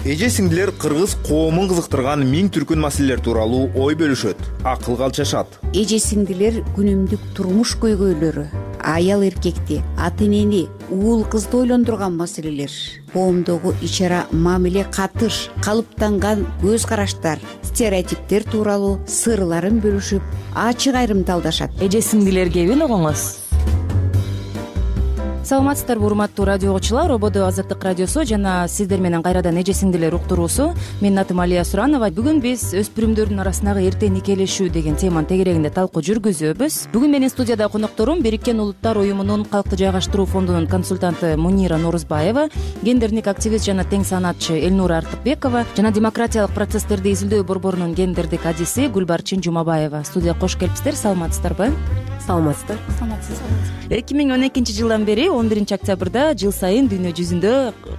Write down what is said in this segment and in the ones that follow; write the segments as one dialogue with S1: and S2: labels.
S1: Эже сиңдилер кыргыз коомун кызыктырган миң түркүн маселелер тууралуу ой бөлүшөт, акылга алчашат.
S2: Эже сиңдилер күнүмдүк турмуш көйгөйлөрү, аял эркекти, ата энени, уул кызды ойлондурган маселелер, коомдогу ич ара мамиле, катыш, калыптанган көз караштар, стереотиптер тууралуу сырларын бөлүшүп, ачык айрымталдашат.
S3: Эже сиңдилер кебин угуңуз. Саламатсыздарбы урматтуу радио угуучулар, Ободо Азаттык радиосу жана сиздер менен кайрадан эже сиңдилер уктуруусу. Менин атым Алия Суранова. Бүгүн биз өспүрүмдөрдүн арасындагы эрте никелешүү деген теманын тегерегинде талкуу жүргүзөбүз. Бүгүн менин студияда конокторум Бириккен Улуттар уюмунун калкты жайгаштыруу фондунун консультанты Мунира Норузбаева, гендердик активист жана тең санаатчы Элнура Артыкбекова жана демократиялык процесстерди изилдөө борборунун гендердик адиси Гүлбарчын Жумабаева. Студияга кош келипсиздер. Саламатсыздарбы?
S4: Саламатсыздар.
S3: 2012 жылдан бери 11 октябрда жыл сайын дүйнө жүзүндө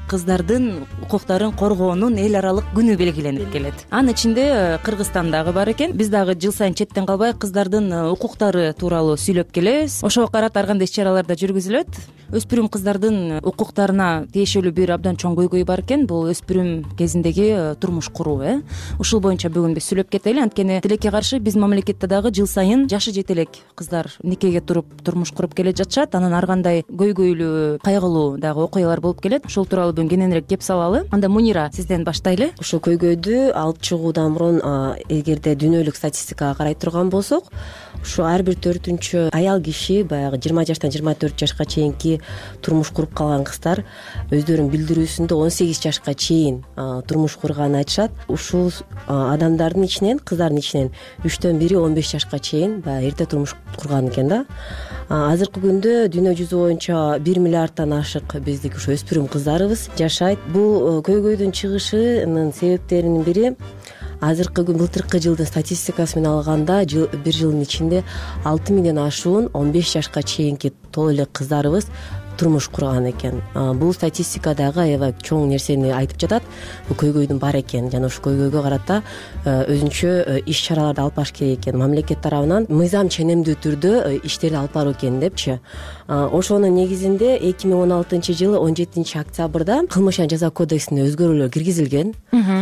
S3: кыздардын укуктарын коргоонун эл аралык күнү белгиленип келет. Анын ичинде Кыргызстан дагы бар экен. Биз дагы жыл сайын четтен калбай кыздардын укуктары тууралуу сүйлөп келебиз. Ошого карата ар кандай иш-чаралар да жүргүзүлөт. Өспүрүм кыздардын укуктарына тиешелүү бир абдан чоң көйгөй бар экен. Бул өспүрүм кезиндеги турмуш куруу. Ушул боюнча бүгүн биз сүйлөп кетели. Анткени тилекке каршы биздин мамлекетте дагы жыл сайын жашы жете элек кыздар никеге туруп турмуш куруп келе жатышат. Анан ар кандай көйгөйлүү, кайгылуу дагы окуялар болуп келет. Ошол тууралуу бүгүн кененирээк кеп салалы. Анда Мунира, сизден баштайлы.
S4: Ушул көйгөйдү алып чыгуудан мурун эгерде дүйнөлүк статистикага карай турган болсок, ушу ар бир 4-үнчү аял киши баягы 20 жаштан 24 жашка чейинки турмуш куруп калган кыздар өздөрүнүн билдирүүсүндө 18 жашка чейин турмуш курганын айтышат. Ушул адамдардын ичинен, кыздардын ичинен 3төн бири 15 жашка чейин баягы эрте турмуш курган экен да. Азыркы күндө дүйнө жүзү боюнча 1 миллиардтан ашык биздики ушу өспүрүм кыздарыбыз жашайт. Бул көйгөйдүн чыгышынын себептеринин бири азыркы былтыркы жылдын статистикасы менен алганда бир жылдын ичинде 6 миңден ашуун 15 жашка чейинки толо эле кыздарыбыз турмуш курган экен. Бул статистика дагы аябай чоң нерсени айтып жатат. Бул көйгөйдүн бар экен жана ушул көйгөйгө карата өзүнчө иш-чараларды алып барыш керек экен. Мамлекет тарабынан мыйзам ченемдүү түрдө иштерди алып баруу экен депчи. Ошонун негизинде 2016 жылы 17 октябрда кылмыш жана жаза кодексине өзгөрүүлөр киргизилген.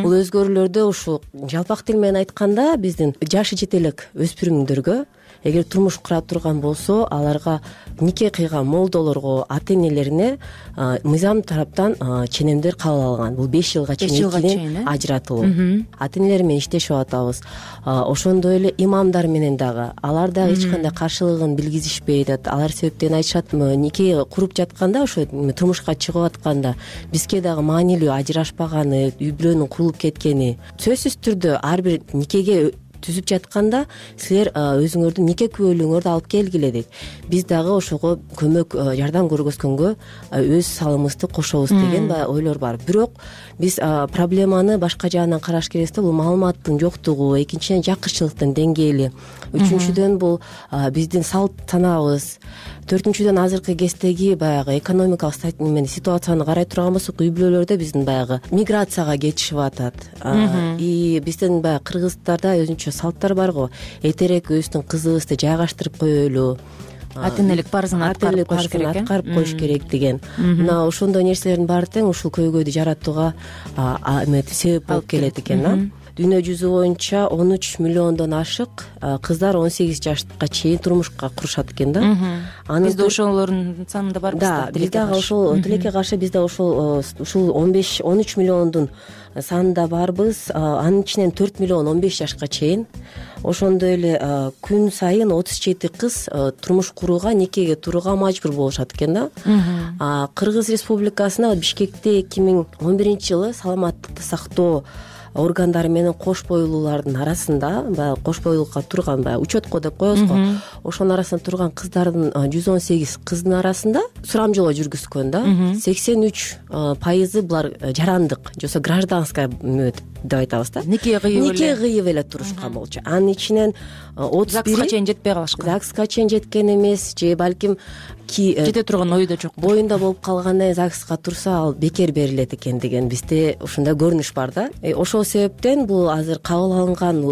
S4: Бул өзгөрүүлөрдө ушул жалпак тил менен айтканда биздин жашы жете элек өспүрүмдөргө эгер турмуш кура турган болсо, аларга нике кыйган молдолорго, ата энелерине мыйзам тараптан ченемдер кабыл алган. Бул 5 жылга чейин ажыратылуу. Ата энелер менен иштешип атабыз. Ошондой эле имамдар менен дагы алар дагы эч кандай каршылыгын билгизишпейт. Алар себептен айтышат, нике куруп жатканда, ошо турмушка чыгып атканда бизге дагы маанилүү ажырашпаганы, үй бүлөнүн курулуп кеткени. Сөзсүз түрдө ар бир никеге түзүп жатканда силер өзүңөрдүн нике күбөлүгүңөрдү алып келгиле дейт. Биз дагы ошого көмөк, жардам көргөзгөнгө өз салымыбызды кошобуз деген ойлор бар. Бирок биз проблеманы башка жагынан караш керекпиз да. Бул маалыматтын жоктугу, экинчиден жакырчылыктын деңгээли, үчүнчүдөн бул биздин салт санаабыз, төртүнчүдөн азыркы кездеги баягы экономикалык ситуацияны карай турган болсок, үй бүлөлөрдө биздин баягы миграцияга кетишип атат. И биздин баягы кыргыздарда өзүнчө салттар бар го. Эртерээк өзүбүздүн кызыбызды жайгаштырып коелу,
S3: ата энелик парзын аткарып
S4: коюш керек деген. Мына ошондой нерселердин баары тең ушул көйгөйдү жаратууга себеп болуп келет экен. Дүйнө жүзү боюнча 13 миллиондон ашык кыздар 18 жашка чейин турмушка курушат экен да.
S3: Бизде ошолордун санында барбыз да.
S4: Биз дагы ошол тилекке каршы биз да ушул 13 миллиондун санында барбыз. Анын ичинен 4 миллион 15 жашка чейин. Ошондой эле күн сайын 37 кыз турмуш курууга, никеге турууга мажбур болушат экен да. Кыргыз Республикасына Бишкекте 2011 жылы саламаттыкты сактоо органдары менен кош бойлуулардын арасында, баягы кош бойлуулукка турган, баягы учетко деп коебуз го, ошонун арасында турган кыздардын 118 кыздын арасында сурамжылоо жүргүзгөн да. 83% булар жарандык, жосо гражданская деп айтабыз да.
S3: Нике
S4: кыйып эле турушкан болчу. Анын ичинен 31
S3: ЗАГСка чейин жетпей калышкан.
S4: ЗАГСка чейин жеткен эмес, же балким
S3: жете турган ою да жок.
S4: Боюнда болуп калгандан кийин ЗАГСка турса ал бекер берилет экен деген бизде ушундай көрүнүш бар да. Ошол себептен бул азыр кабыл алынган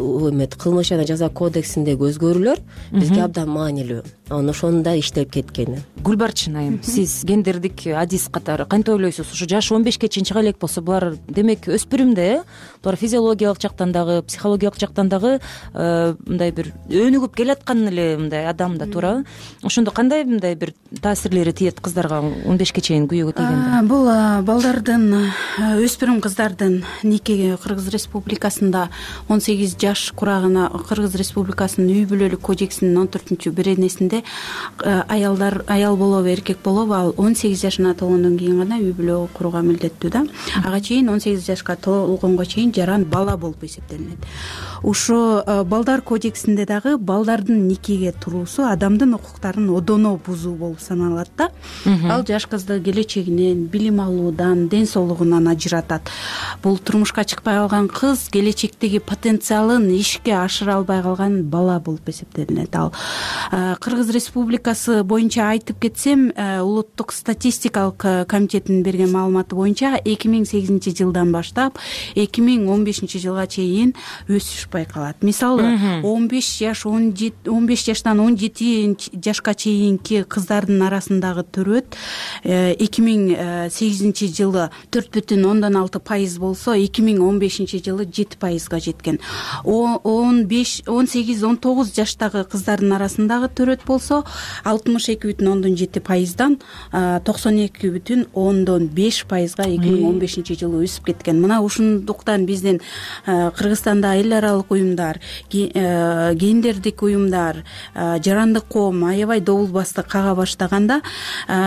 S4: кылмыш жана жаза кодексиндеги өзгөрүүлөр бизге абдан маанилүү. Анан ошону да иштелип кеткени.
S3: Гүлбарчын айым, сиз гендердик адис катары кантип ойлойсуз? Ушу жаш 15ке чейин чыга элек болсо, булар демек өспүрүмдө, булар физиологиялык жактан дагы, психологиялык жактан дагы мындай бир өнүгүп келаткан эле мындай адам да, туурабы? Ошондо кандай мындай бир таасирлери тиет кыздарга 15ке чейин күйөөгө тийгенде?
S5: Бул балдардын, өспүрүм кыздардын никеге Кыргыз Республикасында 18 жаш курагына Кыргыз Республикасынын үй бүлөлүк кодексинин 14-беренесинде аял болобу, эркек болобу, ал 18 жашына толгондон кийин гана үй бүлө курууга милдеттүү да. Ага чейин 18 жашка толгонго чейин жаран бала болуп эсептелинет. Ошо балдар кодексинде дагы балдардын никеге туруусу адамдын укуктарын одоно бузуу болуп саналат да. Ал жаш кызды келечегинен, билим алуудан, ден соолугунан ажыратат. Бул турмушка чыкпай калган кыз келечектеги потенциалын ишке ашыра албай калган бала болуп эсептелинет. Ал Кыргыз Республикасы боюнча айтып кетсем, улуттук статистикалык комитетинин берген маалыматы боюнча 2008 жылдан баштап 2015 жылга чейин өсүш байкалат. Мисалы 15 жаштан 17 жашка чейинки кыздардын арасындагы төрөт 2008 жылы 4,6% болсо, 2015 жылы 7%га жеткен. 18-19 жаштагы кыздардын арасындагы төрөт болсо 62,7%дан 92,5%га 2015 жылы өсүп кеткен. Мына ушундуктан биздин Кыргызстанда эл аралык уюмдар, гендердик уюмдар, жарандык коом аябай добулбасты кага баштаганда,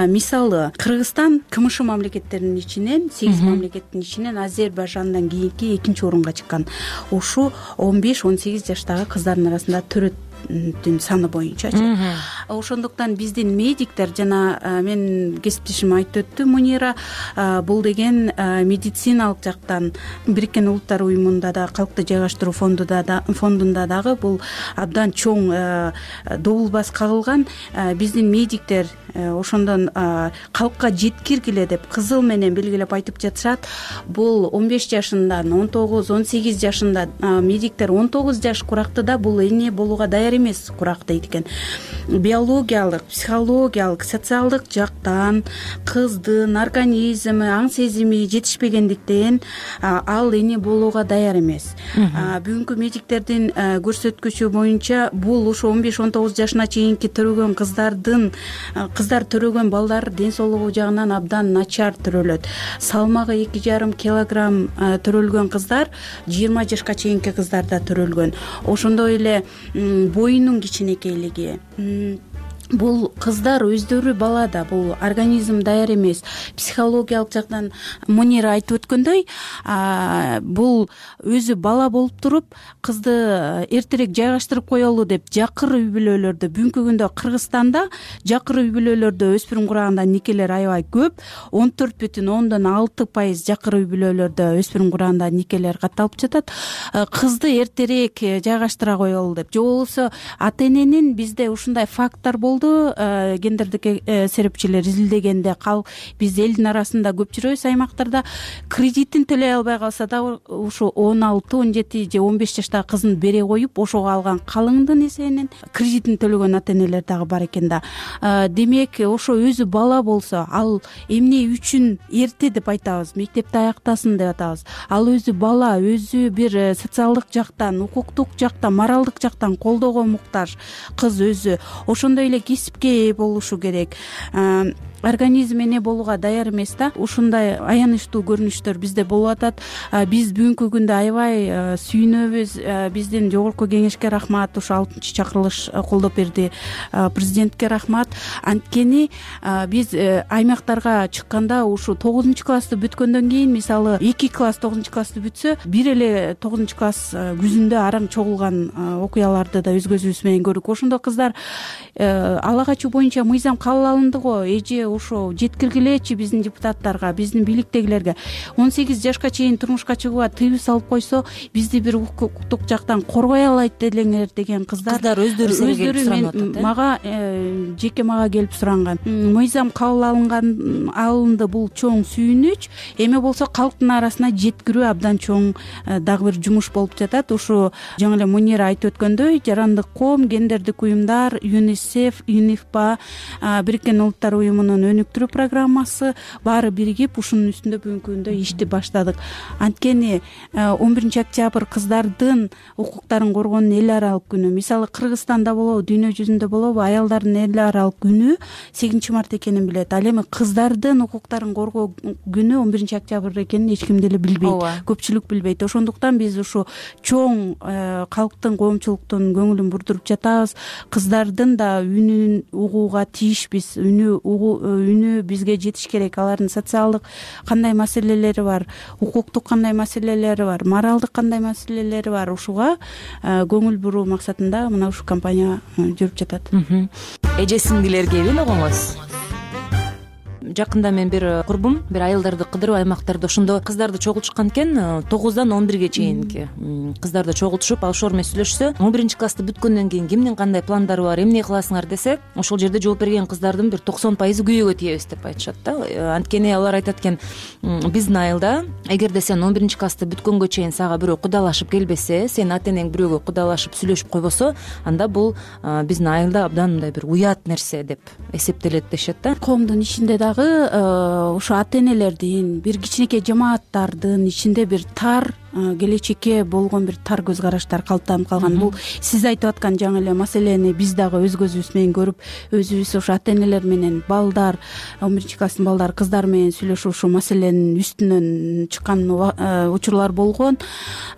S5: мисалы Кыргызстан КМШ мамлекеттеринин ичинен, 8 мамлекеттин ичинен Азербайжандан кийинки 2-орунга чыккан. Ушу 15-18 жаштагы кыздардын арасында төрөт саны боюнчачы. Ошондуктан биздин медиктер, жана мен кесиптешим айтып өттү Мунира, бул деген медициналык жактан Бириккен Улуттар уюмунда да, калкты жайгаштыруу фондунда дагы бул абдан чоң добулбас кагылган. Биздин медиктер ошондон калкка жеткиргиле деп кызыл менен белгилеп айтып жатышат. Бул 15 жашындан 19-18 жашында медиктер 19 жаш курактыда бул эне болууга даяр эмес курак дейт экен. Биологиялык, психологиялык, социалдык жактан кыздын организми, аң сезими жетишпегендиктен ал эне болууга даяр эмес. Бүгүнкү медиктердин көрсөткүчү боюнча бул ушу 15-19 жашына чейинки төрөгөн кыздар төрөгөн балдар ден соолугу жагынан абдан начар төрөлөт. Салмагы 2,5 килограмм төрөлгөн кыздар 20 жашка чейинки кыздарда төрөлгөн. Ошондой эле боюнун кичинекейлиги. Бул кыздар өздөрү балада, бул организм даяр эмес. Психологиялык жактан Мунира айтып өткөндөй, бул өзү бала болуп туруп, кызды эртерээк жайгаштырып коелу деп жакыр үй бүлөлөрдө, бүгүнкү күндө Кыргызстанда жакыр үй бүлөлөрдө өспүрүм кураганда никелер аябай көп. 14,6% жакыр үй бүлөлөрдө өспүрүм кураганда никелер катталып жатат. Кызды эртерээк жайгаштыра коелу деп. Же болбосо ата-эненин бизде ушундай факттар болду. Гендердик серепчилер изилдегенде биз элдин арасында көп жүрөбүз аймактарда. Кредитин төлөй албай калса да ушу 16, 17 же 15 жаштагы кызын бере коюп, ошого алган калыңдын эсебинен кредитин төлөгөн ата-энелер дагы бар экен да. Демек, ошо өзү бала болсо, ал эмне үчүн эрте деп айтабыз, мектепти аяктасын деп атабыз. Ал өзү бала, өзү бир социалдык жактан, укуктук жактан, моралдык жактан колдоого муктаж кыз өзү. Ошондой эле кесипке ээ болушу керек. Организм эне болууга даяр эмес да. Ушундай аянычтуу көрүнүштөр бизде болуп атат. Биз бүгүнкү күндө аябай сүйүнөбүз. Биздин жогорку кеңешке рахмат, ушу 6-чакырылыш колдоп берди. Президентке рахмат. Анткени биз аймактарга чыкканда ушу 9-классты бүткөндөн кийин, мисалы 2 класс 9-классты бүтсө, бир эле 9-класс күзүндө араң чогулган окуяларды да өз көзүбүз менен көрдүк. Ошондо кыздар ала качуу боюнча мыйзам кабыл алынды го. Эже ошо жеткиргилечи биздин депутаттарга, биздин бийликтегилерге. 18 жашка чейин турмушка чыгууга тыюу салып койсо, бизди бир укуктук жактан коргой алайт делеңер деген кыздар өздөрү мага жеке мага келип суранган. Мыйзам кабыл алынды, бул чоң сүйүнүч. Эми болсо калктын арасына жеткирүү абдан чоң дагы бир жумуш болуп жатат. Ушу жаңы эле Мунира айтып өткөндөй, жарандык коом, гендердик уюмдар, ЮНИСЕФ, ЮНИФПА, Бириккен Улуттар уюмунун өнүктүрүү программасы баары биригип ушунун үстүндө бүгүнкү күндө ишти баштадык. Анткени 11 октябрь кыздардын укуктарын коргоонун эл аралык күнү. Мисалы Кыргызстанда болобу, дүйнө жүзүндө болобу, аялдардын эл аралык күнү 8 март экенин билет. Ал эми кыздардын укуктарын коргоо күнү 11 октябрь экенин эч ким деле билбейт, көпчүлүк билбейт. Ошондуктан биз ушу чоң калктын, коомчулуктун көңүлүн бурдуруп жатабыз. Кыздардын да үнүн угууга тийишпиз. Үнү бизге жетиш керек. Алардын социалдык кандай маселелери бар, укуктук кандай маселелери бар, моралдык кандай маселелери бар, ушуга көңүл буруу максатында мына ушул компания жүрүп жатат.
S3: Эже сиңдилерге белогоңуз. Жакында мен бир курбум бир аялдарды кыдырып аймактарда ошондо кыздарды чогултушкан экен. 9дан 11ге чейинки кыздарды чогултушуп алышор менен сүйлөшсө, 11 классты бүткөндөн кийин кимдин кандай пландары бар, эмне кыласыңар десе, ошол жерде жооп берген кыздардын бир 90% күйөөгө тийебиз деп айтышат да. Анткени алар айтат экен, биздин айылда эгерде сен 11 классты бүткөнгө чейин сага бирөө кудалашып келбесе, сенин ата энең бирөөгө кудалашып сүйлөшүп койбосо, анда бул биздин айылда абдан мындай бир уят нерсе деп эсептелет дешет да.
S5: Коомдун ичинде дагы ошо ата энелердин, бир кичинекей жамааттардын ичинде бир тар, келечекке болгон бир тар көз караштар калыптанып калган. Бул сиз айтып аткан жаңы эле маселени биз дагы өз көзүбүз менен көрүп, өзүбүз ошо ата энелер менен балдар, 11 класстын балдары, кыздар менен сүйлөшүп ушул маселенин үстүнөн чыккан учурлар болгон.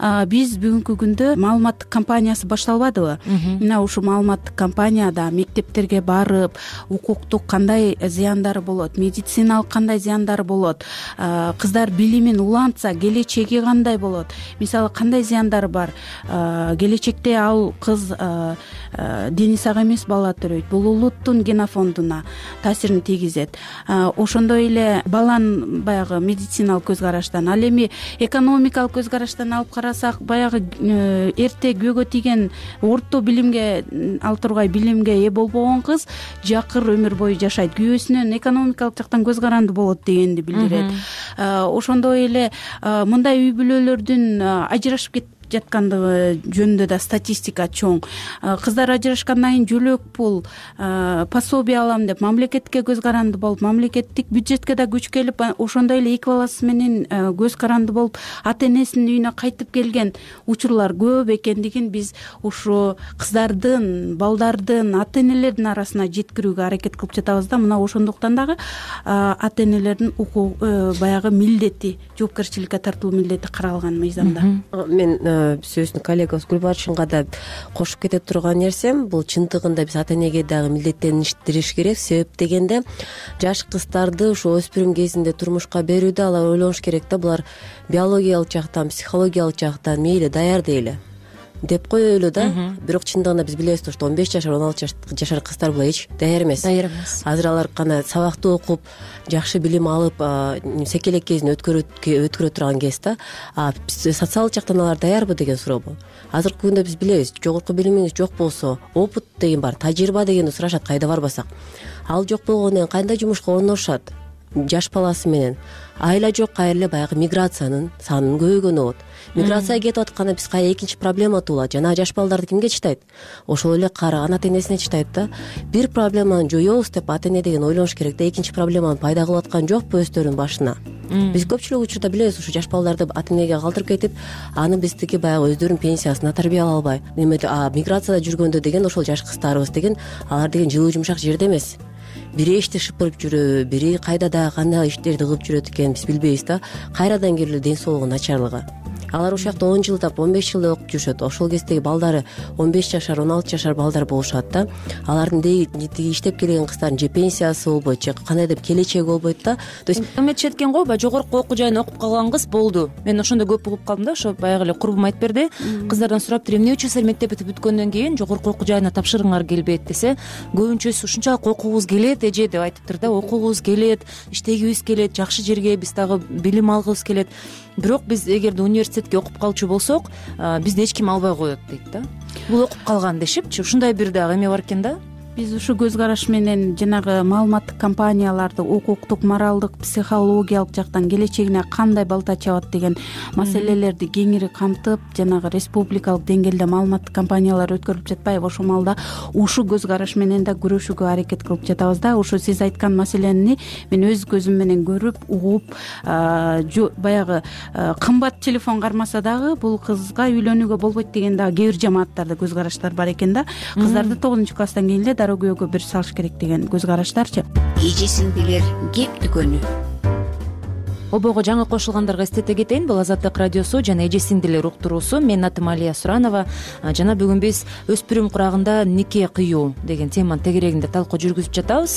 S5: Биз бүгүнкү күндө маалыматтык кампаниясы башталбадыбы? Мына ушул маалыматтык кампанияда мектептерге барып, укуктук кандай зыяндары болот, медициналык кандай зыяндары болот, кыздар билимин улантса келечеги кандай болот, мисалы кандай зыяндары бар, келечекте ал кыз дени сак эмес бала төрөйт, бул улуттун генофондуна таасирин тийгизет. Ошондой эле баланын баягы медициналык көз караштан, ал эми экономикалык көз караштан алып карасак, баягы эрте күйөөгө тийген, орто билимге ал тургай билимге ээ болбогон кыз жакыр өмүр бою жашайт, күйөөсүнөн экономикалык жактан көз каранды болот дегенди билдирет. Ошондой эле мындай үй бүлөлөрдүн ажырашып жаткандыгы жөнүндө да статистика чоң. Кыздар ажырашкандан кийин жөлөк пул, пособие алам деп мамлекетке көз каранды болуп, мамлекеттик бюджетке да күч келип, ошондой эле эки баласы менен көз каранды болуп, ата энесинин үйүнө кайтып келген учурлар көп экендигин биз ушу кыздардын, балдардын, ата энелердин арасына жеткирүүгө аракет кылып жатабыз да. Мына ошондуктан дагы ата энелердин баягы милдети, жоопкерчиликке тартылуу милдети каралган мыйзамда.
S4: Мен сөзүн коллегабыз Гүлбарчынга да кошуп кете турган нерсем, бул чындыгында биз ата энеге дагы милдеттеништериш керек. Себеп дегенде жаш кыздарды ошо өспүрүм кезинде турмушка берүүдө алар ойлонуш керек да, булар биологиялык жактан, психологиялык жактан мейли даяр дейли деп коелу да. Бирок чындыгында биз билебиз, что 15 жашар, 16 жашар кыздар була эч даяр эмес. Азыр алар гана сабакты окуп, жакшы билим алып, секелек кезин өткөрө турган кез да. Социалдык жактан алар даярбы деген сурообу? Азыркы күндө биз билебиз, жогорку билимиңиз жок болсо, опыт деген бар, тажрыйба дегенди сурашат кайда барбасак. Ал жок болгондон кийин кандай жумушка орношот? Жаш баласы менен айла жок, кайра эле баягы миграциянын санынын көбөйгөнү болот. Миграцияга кетип атканда биз кайра экинчи проблема туулат. Жана жаш балдарды кимге чыдайт? Ошол эле карыган ата энесине чыдайт да. Бир проблеманы жоёбуз деп ата эне деген ойлонуш керек да, экинчи проблеманы пайда кылып аткан жокпу өздөрүнүн башына? Биз көпчүлүк учурда билебиз, ушу жаш балдарды ата энеге калтырып кетип, аны биздики баягы өздөрүнүн пенсиясына тарбиялай албай, миграцияда жүргөндө деген ошол жаш кыздарыбыз деген, алар деген жылуу жумшак жерде эмес. Бири эшти шыпырып жүрөбү, бири кайда да кандай иштерди кылып жүрөт экен биз билбейбиз да. Кайрадан келип ден соолугу начарлыгы. алар ушул жакта 10 жылдап 15 жылдай окуп жүрүшөт. Ошол кездеги балдары 15 жашар 16 жашар балдар болушат да. Алардын тиги иштеп келген кыздардын же пенсиясы болбойт, же кандайдыр келечеги болбойт да. То есть
S3: эметишет экен го, баягы жогорку окуу жайына окуп калган кыз болду. Мен ошондо көп угуп калдым да, ошо баягы эле курбум айтып берди. Кыздардан сураптыр, эмне үчүн силер мектеп бүтүп бүткөндөн кийин жогорку окуу жайына тапшыргыңар келбейт десе, көбүнчөсү ушунчалык окугубуз келет эже деп айтыптыр да. Окугубуз келет, иштегибиз келет, жакшы жерге биз дагы билим алгыбыз келет. Бирок биз эгерде университетке окуп калчу болсок, бизди эч ким албай коет дейт да. Бул окуп калган дешипчи, ушундай бир дагы эме бар экен да.
S5: Биз ушу көз караш менен жанагы маалыматтык компанияларды укуктук, моралдык, психологиялык жактан келечегине кандай балта чабат деген маселелерди кеңири камтып, жанагы республикалык деңгээлде маалыматтык компаниялар өткөрүлүп жатпайбы? Ошол маалда ушу көз караш менен да күрөшүүгө аракет кылып жатабыз да. Ушу сиз айткан маселени мен өз көзүм менен көрүп, угуп, баягы кымбат телефон кармаса дагы бул кызга үйлөнүүгө болбойт деген дагы кээ бир жамааттарда көз караштар бар экен да. Кыздарды 9-класстан кийин эле дароо күйөөгө бир салыш керек деген көз караштарчы.
S2: Эже сиңдилер кеп дүкөнү.
S3: Обого жаңы кошулгандарга эстете кетейин, бул Азаттык радиосу жана эже сиңдилер уктуруусу. Менин атым Алия Суранова. Жана бүгүн биз өспүрүм курагында нике кыюу деген теманын тегерегинде талкуу жүргүзүп жатабыз.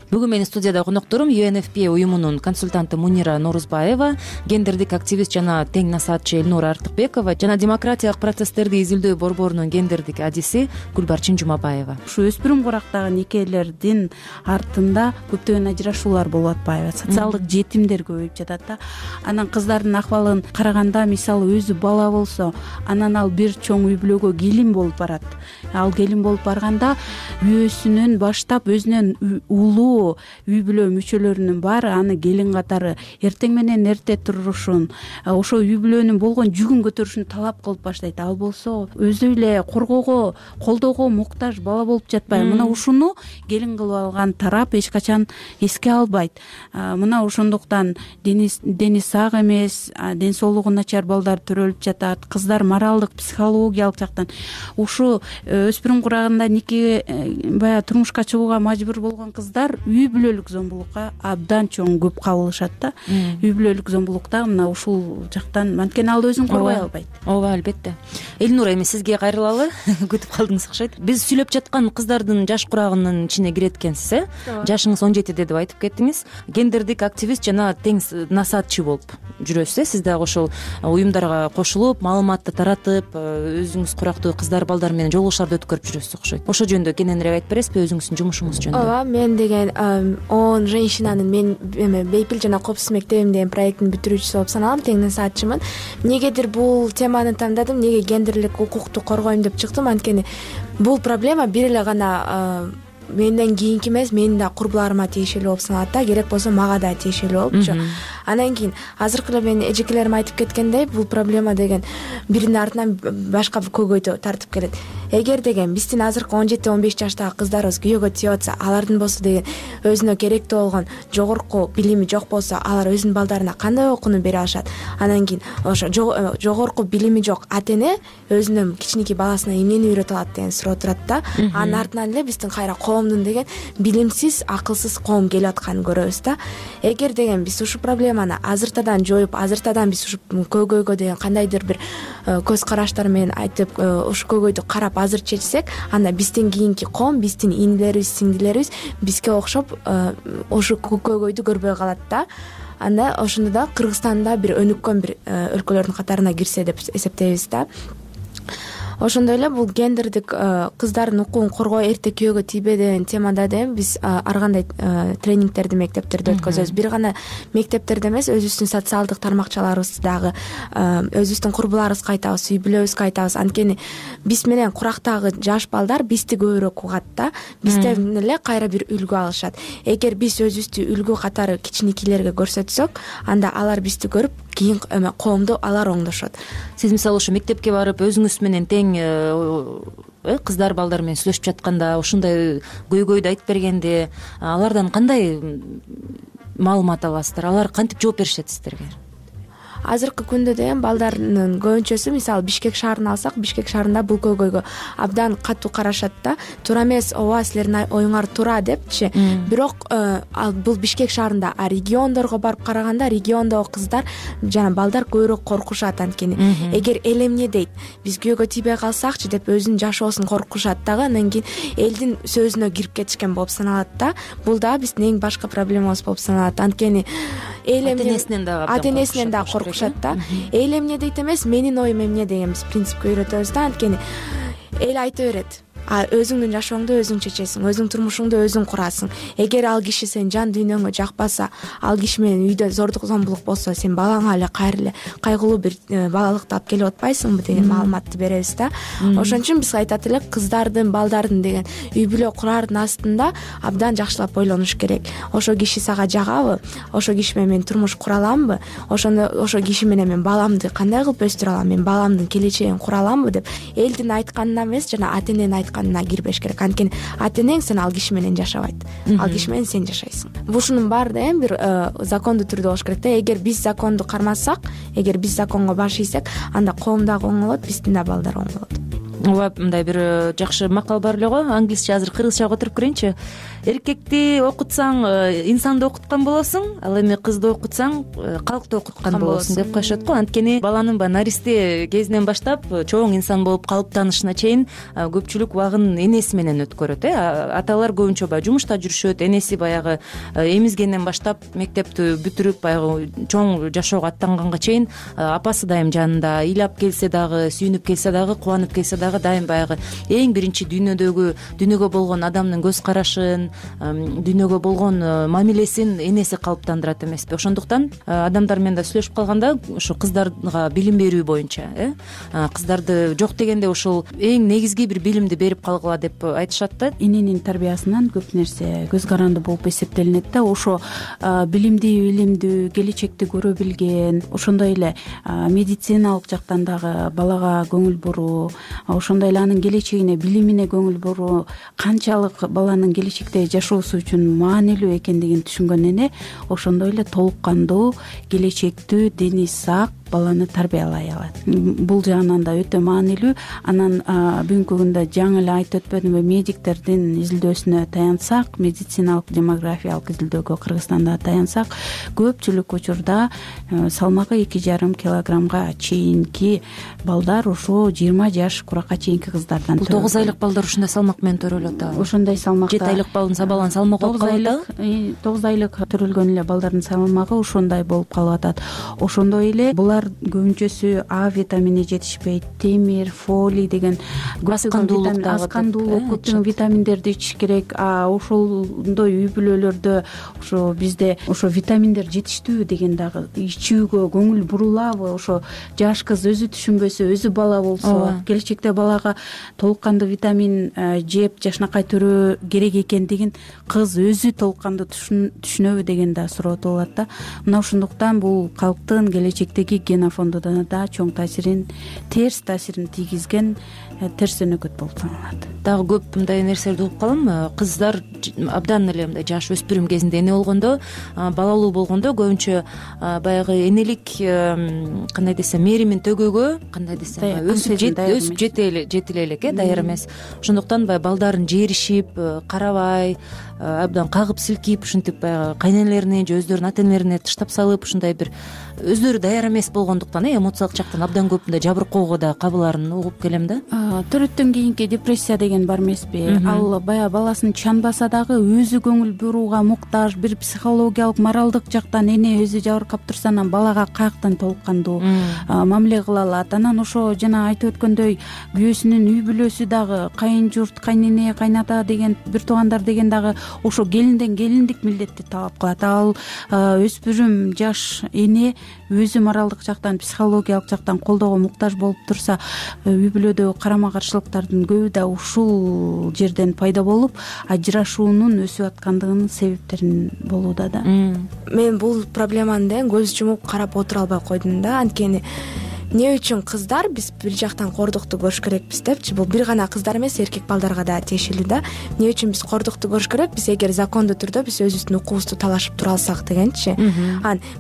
S3: Бүгүн менин студияда конокторум UNFPA уюмунун консультанты Мунира Норузбаева, гендердик активист жана тең насаатчы Элнура Артыкбекова жана демократиялык процесстерди изилдөө борборунун гендердик адиси Гүлбарчын Жумабаева.
S5: Ушу өспүрүм курактагы никелердин артында көптөгөн ажырашуулар болуп атпайбы? Социалдык жетимдер көбөйүп жатат. Анан кыздардын акыбалын караганда, мисалы өзү бала болсо, анан ал бир чоң үй бүлөгө келин болуп барат. Ал келин болуп барганда үйөөсүнөн баштап өзүнөн улуу үй бүлө мүчөлөрүнүн баары аны келин катары эртең менен эрте турушун, ошо үй бүлөнүн болгон жүгүн көтөрүшүн талап кылып баштайт. Ал болсо өзү эле коргоого, колдоого муктаж бала болуп жатпайбы? Мына ушуну келин кылып алган тарап эч качан эске албайт. Мына ошондуктан дени сак эмес, ден соолугу начар балдар төрөлүп жатат. Кыздар моралдык, психологиялык жактан ушу өспүрүм курагында нике баягы турмушка чыгууга мажбур болгон кыздар үй бүлөлүк зомбулукка абдан чоң көп кабылышат да. Үй бүлөлүк зомбулукта мына ушул жактан анткени ал өзүн коргой албайт.
S3: Ооба, албетте. Элнура, эми сизге кайрылалы. Күтүп калдыңыз окшойт. Биз сүйлөп жаткан кыздардын жаш курагынын ичине кирет экенсиз, жашыңыз 17 деп айтып кеттиңиз. Гендердик активист жана тең насаатчы болуп жүрөсүз. Сиз дагы ошол уюмдарга кошулуп, маалыматты таратып, өзүңүз курактуу кыздар, балдар менен жолугушууларды өткөрүп жүрөсүз окшойт. Ошол жөнүндө кененирээк айтып бересизби өзүңүздүн жумушуңуз жөнүндө?
S6: Ооба, мен деген 10 женщинанын мен Бейпил жана Коопсуз мектебим деген проекттин бүтүрүүчүсү болуп саналам, тең насаатчымын. Негедир бул теманы тандадым, неге гендерлик укукту коргойм деп чыктым, анткени бул проблема бир эле гана менден кийинки эмес, менин да курбуларыма тиешелүү болуп саналат да, керек болсо мага да тиешелүү болупчу. Анан кийин азыркы эле менин эжекелерим айтып кеткендей, бул проблема деген биринин артынан башка бир көйгөйдү тартып келет. Эгер деген биздин азыркы 17-15 жаштагы кыздарыбыз күйөөгө тийип атса, алардын болсо деген өзүнө керектүү болгон жогорку билими жок болсо, алар өзүнүн балдарына кандай окууну бере алышат? Анан кийин ошо жогорку билими жок ата эне өзүнүн кичинекей баласына эмнени үйрөтө алат деген суроо турат да. Анын артынан эле биздин кайра коомдун деген билимсиз, акылсыз коом келип атканын көрөбүз да. Эгер деген биз ушу проблеманы азыртадан жоюп, азыртадан биз ушу көйгөйгө деген кандайдыр бир көз караштар менен айтып, ушу көйгөйдү карап азыр чечсек, анда бизден кийинки коом, биздин инилерибиз, сиңдилерибиз бизге окшоп ушу көйгөйдү көрбөй калат да. Анда ошондо да Кыргызстанда бир өнүккөн бир өлкөлөрдүн катарына кирсе деп эсептейбиз да. Ошондой эле бул гендердик кыздардын укугун коргоо, эрте күйөөгө тийбе деген темада да биз ар кандай тренингтерди мектептерде өткөзөбүз. Бир гана мектептерде эмес, өзүбүздүн социалдык тармакчаларыбыздагы өзүбүздүн курбуларыбызга айтабыз, үй бүлөбүзгө айтабыз. Анткени биз менен курактагы жаш балдар бизди көбүрөөк угат да, бизден эле кайра бир үлгү алышат. Эгер биз өзүбүздү үлгү катары кичинекейлерге көрсөтсөк, анда алар бизди көрүп кийин коомду алар оңдошот.
S3: Сиз мисалы ошо мектепке барып өзүңүз менен тең кыздар, балдар менен сүйлөшүп жатканда, ушундай көйгөйдү айтып бергенде, алардан кандай маалымат аласыздар? Алар кантип жооп беришет сиздерге?
S6: азыркы күндө деген балдардын көбүнчөсү мисалы Бишкек шаарын алсак, Бишкек шаарында бул көйгөйгө абдан катуу карашат да. Туура эмес, ооба силердин оюңар туура депчи. Бирок бул Бишкек шаарында, а региондорго барып караганда региондогу кыздар жана балдар көбүрөөк коркушат. Анткени эгер эл эмне дейт, биз күйөөгө тийбей калсакчы деп өзүнүн жашоосун коркушат дагы. Андан кийин элдин сөзүнө кирип кетишкен болуп саналат да. Бул дагы биздин эң башкы проблемабыз болуп саналат. Анткени эл ата-энесинен дагы коркушат да. Эл эмне дейт эмес, менин оюм эмне деген биз принципке үйрөтөбүз да. Анткени эл айта берет, өзүңдүн жашооңду өзүң чечесиң, өзүңдүн турмушуңду өзүң курасың. Эгер ал киши сен жан дүйнөңө жакпаса, ал киши менен үйдө зордук зомбулук болсо, сен балаңа эле кайгылуу бир балалыкты алып келип атпайсыңбы деген маалыматты беребиз да. Ошон үчүн биз айтат элек, кыздардын, балдардын деген үй бүлө курардын астында абдан жакшылап ойлонуш керек. Ошо киши сага жагабы? Ошо киши менен мен турмуш кура аламбы? Ошо киши менен мен баламды кандай кылып өстүрө алам? Мен баламдын келечегин кура аламбы деп элдин айтканына эмес, жана ата-эненин айтканына кирбеш керек. Анткени ата-энең сен ал киши менен жашабайт. Ал киши менен сен жашайсың. Ушунун баары да эми бир закондуу түрдө болуш керек да. Эгер биз законду кармасак, эгер биз законго баш ийсек, анда коом дагы оң болот, биздин да балдар оң болот.
S3: Ооба, мындай бир жакшы макал бар эле го. Англисче азыр кыргызчага отуруп көрөйүнчү. Эркекти окутсаң, инсанды окуткан болосуң, ал эми кызды окутсаң, калкты окуткан болосуң деп коюшат го. Анткени баланын наристе кезинен баштап чоң инсан болуп калыптанышына чейин көпчүлүк убагын энеси менен өткөрөт. Аталар көбүнчө баягы жумушта жүрүшөт. Энеси баягы эмизгенден баштап мектепти бүтүрүп, баягы чоң жашоого аттанганга чейин апасы дайым жанында. Ыйлап келсе дагы, сүйүнүп келсе дагы, кубанып келсе дагы дайым баягы эң биринчи дүйнөгө болгон адамдын көз карашын, дүйнөгө болгон мамилесин энеси калыптандырат эмеспи? Ошондуктан адамдар менен да сүйлөшүп калганда ошо кыздарга билим берүү боюнча, кыздарды жок дегенде ушул эң негизги бир билимди берип калгыла деп айтышат да.
S5: Эненин тарбиясынан көп нерсе көз каранды болуп эсептелинет да. Ошо билимдүү, келечекти көрө билген, ошондой эле медициналык жактан дагы балага көңүл буруу, ошондой эле анын келечегине, билимине көңүл буруу канчалык баланын келечекте жашоосу үчүн маанилүү экендигин түшүнгөн эне ошондой эле толук кандуу, келечектүү, дени сак баланы тарбиялай алат. Бул жагынан да өтө маанилүү. Анан бүгүнкү күндө жаңы эле айтып өтпөдүмбү, медиктердин изилдөөсүнө таянсак, медициналык демографиялык изилдөөгө Кыргызстанда таянсак, көпчүлүк учурда салмагы 2,5 килограммга чейинки балдар ошо 20 жаш куракка чейинки кыздардан
S3: бул 9 айлык балдар ушундай салмак менен төрөлөт да.
S5: Ошондой салмакта
S3: 7 айлык баланын салмагы болуп калат да.
S5: 9 айлык төрөлгөн эле балдардын салмагы ошондой болуп калып атат. Ошондой эле булар көбүнчөсү А витамини жетишпейт, темир, фолий деген аз кандуулук, көптөгөн витаминдерди ичиш керек. Ошондой үй бүлөлөрдө ошо бизде ошо витаминдер жетиштүү деген дагы ичүүгө көңүл бурулабы? Ошо жаш кыз өзү түшүнбөсө, өзү бала болсо, келечекте балага толук кандуу витамин жеп жашнакай төрөө керек экендигин кыз өзү толук кандуу түшүнөбү деген да суроо туулат да. Мына ошондуктан бул калктын келечектеги генофондуна да чоң терс таасирин тийгизген терс өнөкөт болуп саналат.
S3: Дагы көп мындай нерселерди угуп калам. Кыздар абдан эле мындай жаш өспүрүм кезинде эне болгондо, балалуу болгондо көбүнчө баягы энелик кандай десем, мээримин төгүүгө, кандай десем, өсүп жетиле элек, даяр эмес. Ошондуктан баягы балдарын жеришип, карабай, абдан кагып силкип, ушинтип баягы кайненелерине же өздөрүнүн ата-энелерине таштап салып, ушундай бир өздөрү даяр эмес болгондуктан эмоциялык жактан абдан көп мындай жабыркоого да кабылаарын угуп келем да.
S5: Төрөттөн кийинки депрессия деген бар эмеспи? Ал баягы баласын чанбаса дагы өзү көңүл бурууга муктаж, бир психологиялык, моралдык жактан эне өзү жабыркап турса, анан балага каяктан толук кандуу мамиле кыла алат. Анан ошо жана айтып өткөндөй күйөөсүнүн үй бүлөсү дагы, кайын журт, кайнене, кайната деген, бир туугандар деген дагы ошо келинден келиндик милдетти талап кылат. Ал өспүрүм жаш эне өзү моралдык жактан, психологиялык жактан колдоого муктаж болуп турса, үй бүлөдө карама каршылыктардын көбү да ушул жерден пайда болуп, ажырашуунун өсүп аткандыгынын себептерин болууда да.
S6: Мен бул проблеманы көз жумуп карап отура албай койдум да. Анткени эмне үчүн кыздар биз бир жактан кордукту көрүш керекпиз депчи, бул бир гана кыздар эмес, эркек балдарга да тиешелүү да. Эмне үчүн биз кордукту көрүш керекпиз? Эгер закондуу түрдө биз өзүбүздүн укугубузду талашып тура алсак дегенчи.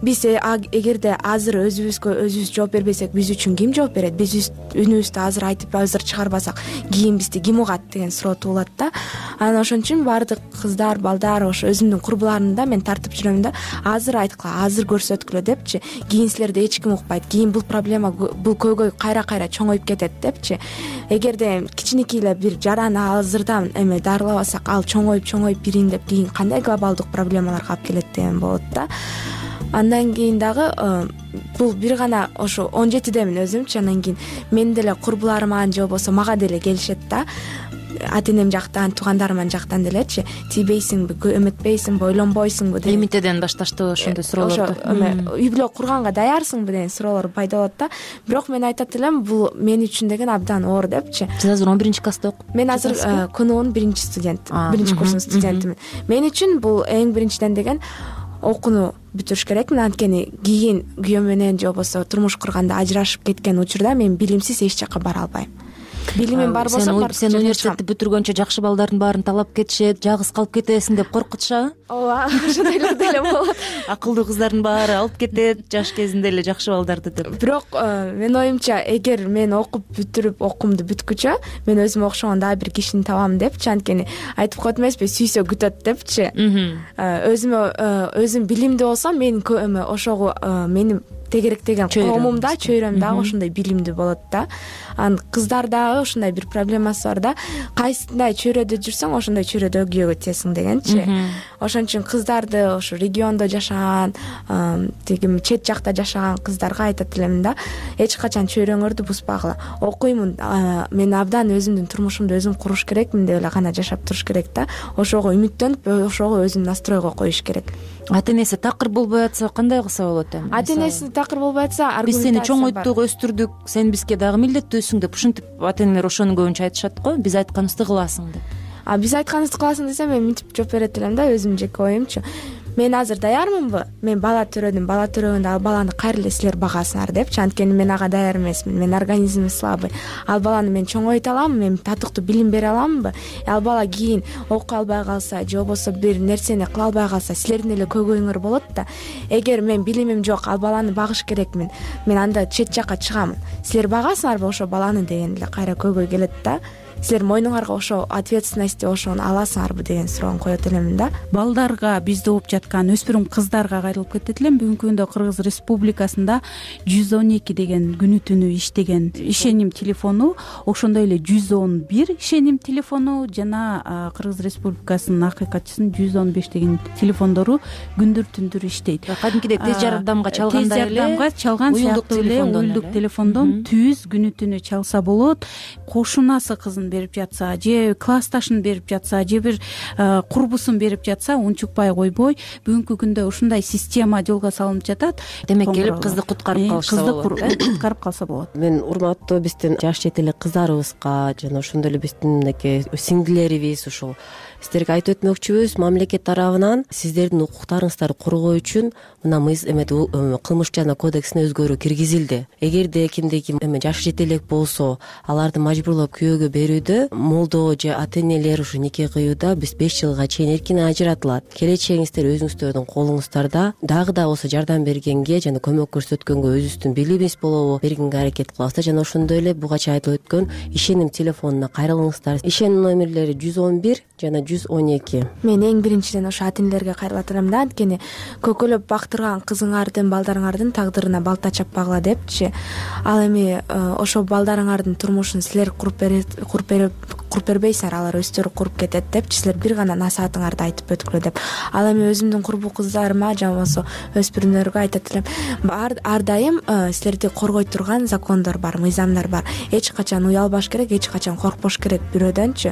S6: Биз эгерде азыр өзүбүзгө өзүбүз жооп бербесек, биз үчүн ким жооп берет? Биз үнүбүздү азыр айтып азыр чыгарбасак, кийин бизди ким угат деген суроо туулат да. Анан ошон үчүн баардык кыздар, балдар, ошо өзүмдүн курбуларымды да мен тартып жүрөм да, азыр айткыла, азыр көрсөткүлө депчи. Кийин силерди эч ким укпайт, кийин бул проблема, бул көйгөй кайра чоңоюп кетет депчи. Эгерде кичинекей эле бир жараны азырдан дарылабасак, ал чоңоюп бириндеп кийин кандай глобалдык проблемаларга алып келет деген болот да. Андан кийин дагы бул бир гана ошо 17демин өзүмчү. Андан кийин мен деле курбуларыма же болбосо мага деле келишет да, ата энем жактан, туугандарымдын жактан делечи, тийбейсиңби, эметпейсиңби, ойлонбойсуңбу деген.
S3: Эмитеден башташтыбы ошондой суроолорду?
S6: Үй бүлө курганга даярсыңбы деген суроолор пайда болот да. Бирок мен айтат элем, бул мен үчүн деген абдан оор депчи.
S3: Сиз азыр 11-класста окуп?
S6: Мен азыр КНУнун 1-студент, 1-курсунун студентимин. Мен үчүн бул эң биринчиден деген окууну бүтүрүш керекмин. Анткени кийин күйөөм менен же болбосо турмуш курганда ажырашып кеткен учурда мен билимсиз эч жака бара албайм. Билимим бар болсо
S3: сен университетти бүтүргөнчө жакшы балдардын баарын талап кетишет, жалгыз калып кетесиң деп коркутушабы?
S6: Ооба, ошондойлор деле болот.
S3: Акылдуу кыздардын баары алып кетет жаш кезинде эле жакшы балдарды деп.
S6: Бирок менин оюмча, эгер мен окуп бүтүрүп окуумду бүткүчө мен өзүмө окшогон дагы бир кишини табам депчи. Анткени айтып коет эмеспи, сүйсө күтөт депчи. Өзүм билимдүү болсом, мен ошого менин тегеректеген коомум да, чөйрөм дагы ошондой билимдүү болот да. Анан кыздар дагы ошондой бир проблемасы бар да. Кайсындай чөйрөдө жүрсөң, ошондой чөйрөдө күйөөгө тиесиң дегенчи. Ошон үчүн кыздарды ошо региондо жашаган, тиги чет жакта жашаган кыздарга айтат элем да, эч качан чөйрөңөрдү буспагыла. Окуймун, мен абдан өзүмдүн турмушумду өзүм куруш керекмин деп эле гана жашап туруш керек да. Ошого үмүттөнүп, ошого өзүн настройго коюш керек.
S3: Ата энеси такыр болбой атса кандай кылса болот эми?
S6: Ата энеси такыр болбой атса,
S3: биз сени чоңойттук, өстүрдүк, сен бизге дагы милдеттүүсүң деп ушинтип ата энелер ошону көбүнчө айтышат го, биз айтканыбызды кыласың деп.
S6: Биз айтканыбызды кыласың десем, мен мынтип жооп берет элем да, өзүмдүн жеке оюмчу. Мен азыр даярмынбы? Мен бала төрөдүм, бала төрөгөндө ал баланы кайра эле силер багасыңар депчи. Анткени мен ага даяр эмесмин, менин организмим слабый. Ал баланы мен чоңойто аламбы, мен татыктуу билим бере аламбы? Ал бала кийин окуй албай калса, же болбосо бир нерсени кыла албай калса, силердин эле көйгөйүңөр болот да. Эгер мен билимим жок, ал баланы багыш керекмин, мен анда чет жакка чыгамын. Силер багасыңарбы ошо баланы деген эле кайра көйгөй келет да. Силер мойнуңарга ошо ответственности ошону аласыңарбы деген суроonu коет элем да.
S5: Балдарга, бизде окуп жаткан өспүрүм кыздарга кайрылып кетет элем. Бүгүнкү күндө Кыргыз Республикасында 112 деген күнү түнү иштеген ишеним телефону, ошондой эле 111 ишеним телефону жана Кыргыз Республикасынын акыйкатчысынын 115 деген телефондору күндүр түндүр иштейт.
S3: Кадимкидей тез жардамга чалгандай эле,
S5: тез жардамга чалган сыяктуу эле уюлдук телефондон түз күнү түнү чалса болот. Кошунасы кызын берип жатса, же классташын берип жатса, же бир курбусун берип жатса, унчукпай койбой, бүгүнкү күндө ушундай система жолго салынып жатат.
S3: Демек келип кызды куткарып калса болот.
S5: Куткарып калса болот.
S4: Мен урматтуу биздин жаш чет эле кыздарыбызга жана ошондой эле биздин мынакей сиңдилерибиз ушул сиздерге айтып өтмөкчүбүз, мамлекет тарабынан сиздердин укуктарыңыздарды коргоо үчүн мына кылмыш жана кодексине өзгөрүү киргизилди. Эгерде кимде ким жашы жете элек болсо, аларды мажбурлап күйөөгө берүүдө молдо же ата энелер ушу нике кыюуда биз 5 жылга чейин эркин ажыратылат. Келечегиңиздер өзүңүздөрдүн колуңуздарда. Дагы да болсо жардам бергенге жана көмөк көрсөткөнгө өзүбүздүн билимибиз болобу бергенге аракет кылабыз да. Жана ошондой эле буга чейин айтылып өткөн ишеним телефонуна кайрылыңыздар. Ишеним номерлери 111 жана 112.
S6: Мен эң биринчиден ошо ата энелерге кайрылат элем да, анткени көкөлөп бактырган кызыңардын, балдарыңардын тагдырына балта чаппагыла депчи. Ал эми ошо балдарыңардын турмушун силер куруп бербейсиңер, алар өздөрү куруп кетет депчи. Силер бир гана насаатыңарды айтып өткүлө деп. Ал эми өзүмдүн курбу кыздарыма же болбосо өспүрүмдөргө айтат элем, ар дайым силерди коргой турган закондор бар, мыйзамдар бар. Эч качан уялбаш керек, эч качан коркпош керек бирөөдөнчү.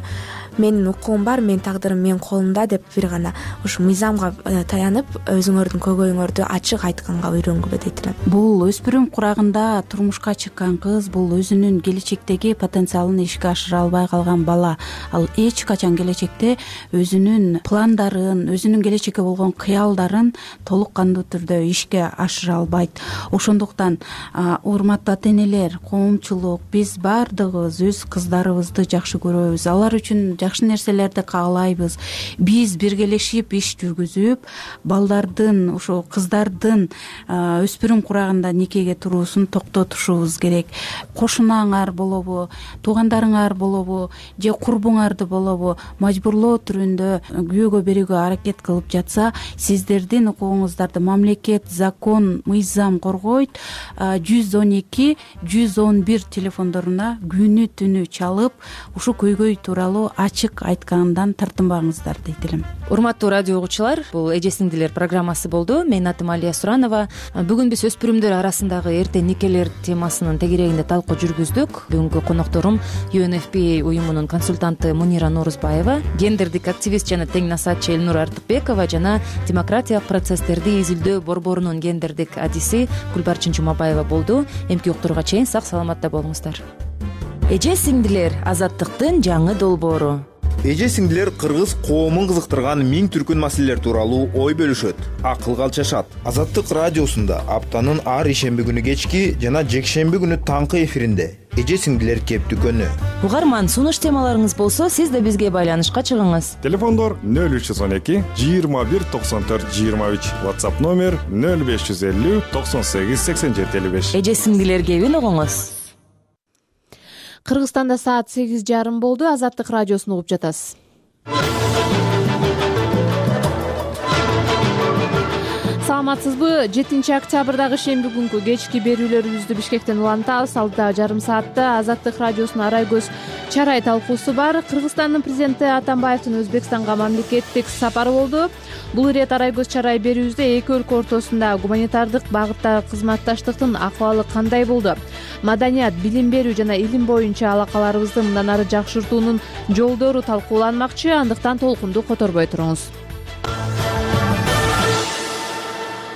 S6: менин укугум бар, менин тагдырым менин колумда деп бир гана ушу мыйзамга таянып өзүңөрдүн көйгөйүңөрдү ачык айтканга үйрөнгүлө дейт элем.
S5: Бул өспүрүм курагында турмушка чыккан кыз, бул өзүнүн келечектеги потенциалын ишке ашыра албай калган бала. Ал эч качан келечекте өзүнүн пландарын, өзүнүн келечекке болгон кыялдарын толук кандуу түрдө ишке ашыра албайт. Ошондуктан урматтуу ата-энелер, коомчулук, биз баардыгыбыз өз кыздарыбызды жакшы көрөбүз. Алар үчүн жакшы нерселерди каалайбыз. Биз биргелешип иш жүргүзүп, балдардын, ошо кыздардын өспүрүм курагында никеге туруусун токтотушубуз керек. Кошунаңар болобу, туугандарыңар болобу, же курбуңарды болобу мажбурлоо түрүндө күйөөгө берүүгө аракет кылып жатса, сиздердин укугуңуздарды мамлекет, закон, мыйзам коргойт. 112 111 телефондоруна күнү түнү чалып, ушу көйгөй тууралуу ачык айткандан тартынбаңыздар дейт элем.
S3: Урматтуу радио угуучулар, бул Эже сиңдилер программасы болду. Менин атым Алия Суранова. Бүгүн биз өспүрүмдөр арасындагы эрте никелер темасынын тегерегинде талкуу жүргүздүк. Бүгүнкү конокторум UNFPA уюмунун консультанты Мунира Норузбаева, гендердик активист жана тең насаатчы Элнур Артыкбекова жана демократиялык процесстерди изилдөө борборунун гендердик адиси Гүлбарчын Жумабаева болду. Эмки уктурууга чейин сак саламатта болуңуздар. Эже сиңдилер — азаттыктын жаңы долбоору.
S1: Эже сиңдилер кыргыз коомун кызыктырган миң түркүн маселелер тууралуу ой бөлүшөт, акылга алчашат. Азаттык радиосунда аптанын ар ишемби күнү кечки жана жекшемби күнү таңкы эфиринде Эже сиңдилер кептүкөнү.
S3: Угарман, сунуш темаларыңыз болсо, сиз да бизге байланышка чыгыңыз.
S7: Телефондор 0312 21 94 23, WhatsApp номер 0550 98 87 55.
S3: Эже сиңдилер кебин угуңуз.
S8: Кыргызстанда саат 8:30 болду. Азаттык радиосун угуп жатасыз. Саламатсызбы? 7-октябрдагы шемби күнкү кечки берүүлөрүбүздү Бишкектен улантабыз. Алдыдагы жарым саатта Азаттык радиосунун арай көз чарай талкуусу бар. Кыргызстандын президенти Атамбаевдин Өзбекстанга мамлекеттик сапары болду. Бул ирет арай көз чарай берүүбүздө эки өлкө ортосунда гуманитардык багыттагы кызматташтыктын акыбалы кандай болду? Маданият, билим берүү жана илим боюнча алакаларыбызды мындан ары жакшыртуунун жолдору талкууланмакчы. Андыктан толкунду которбой туруңуз.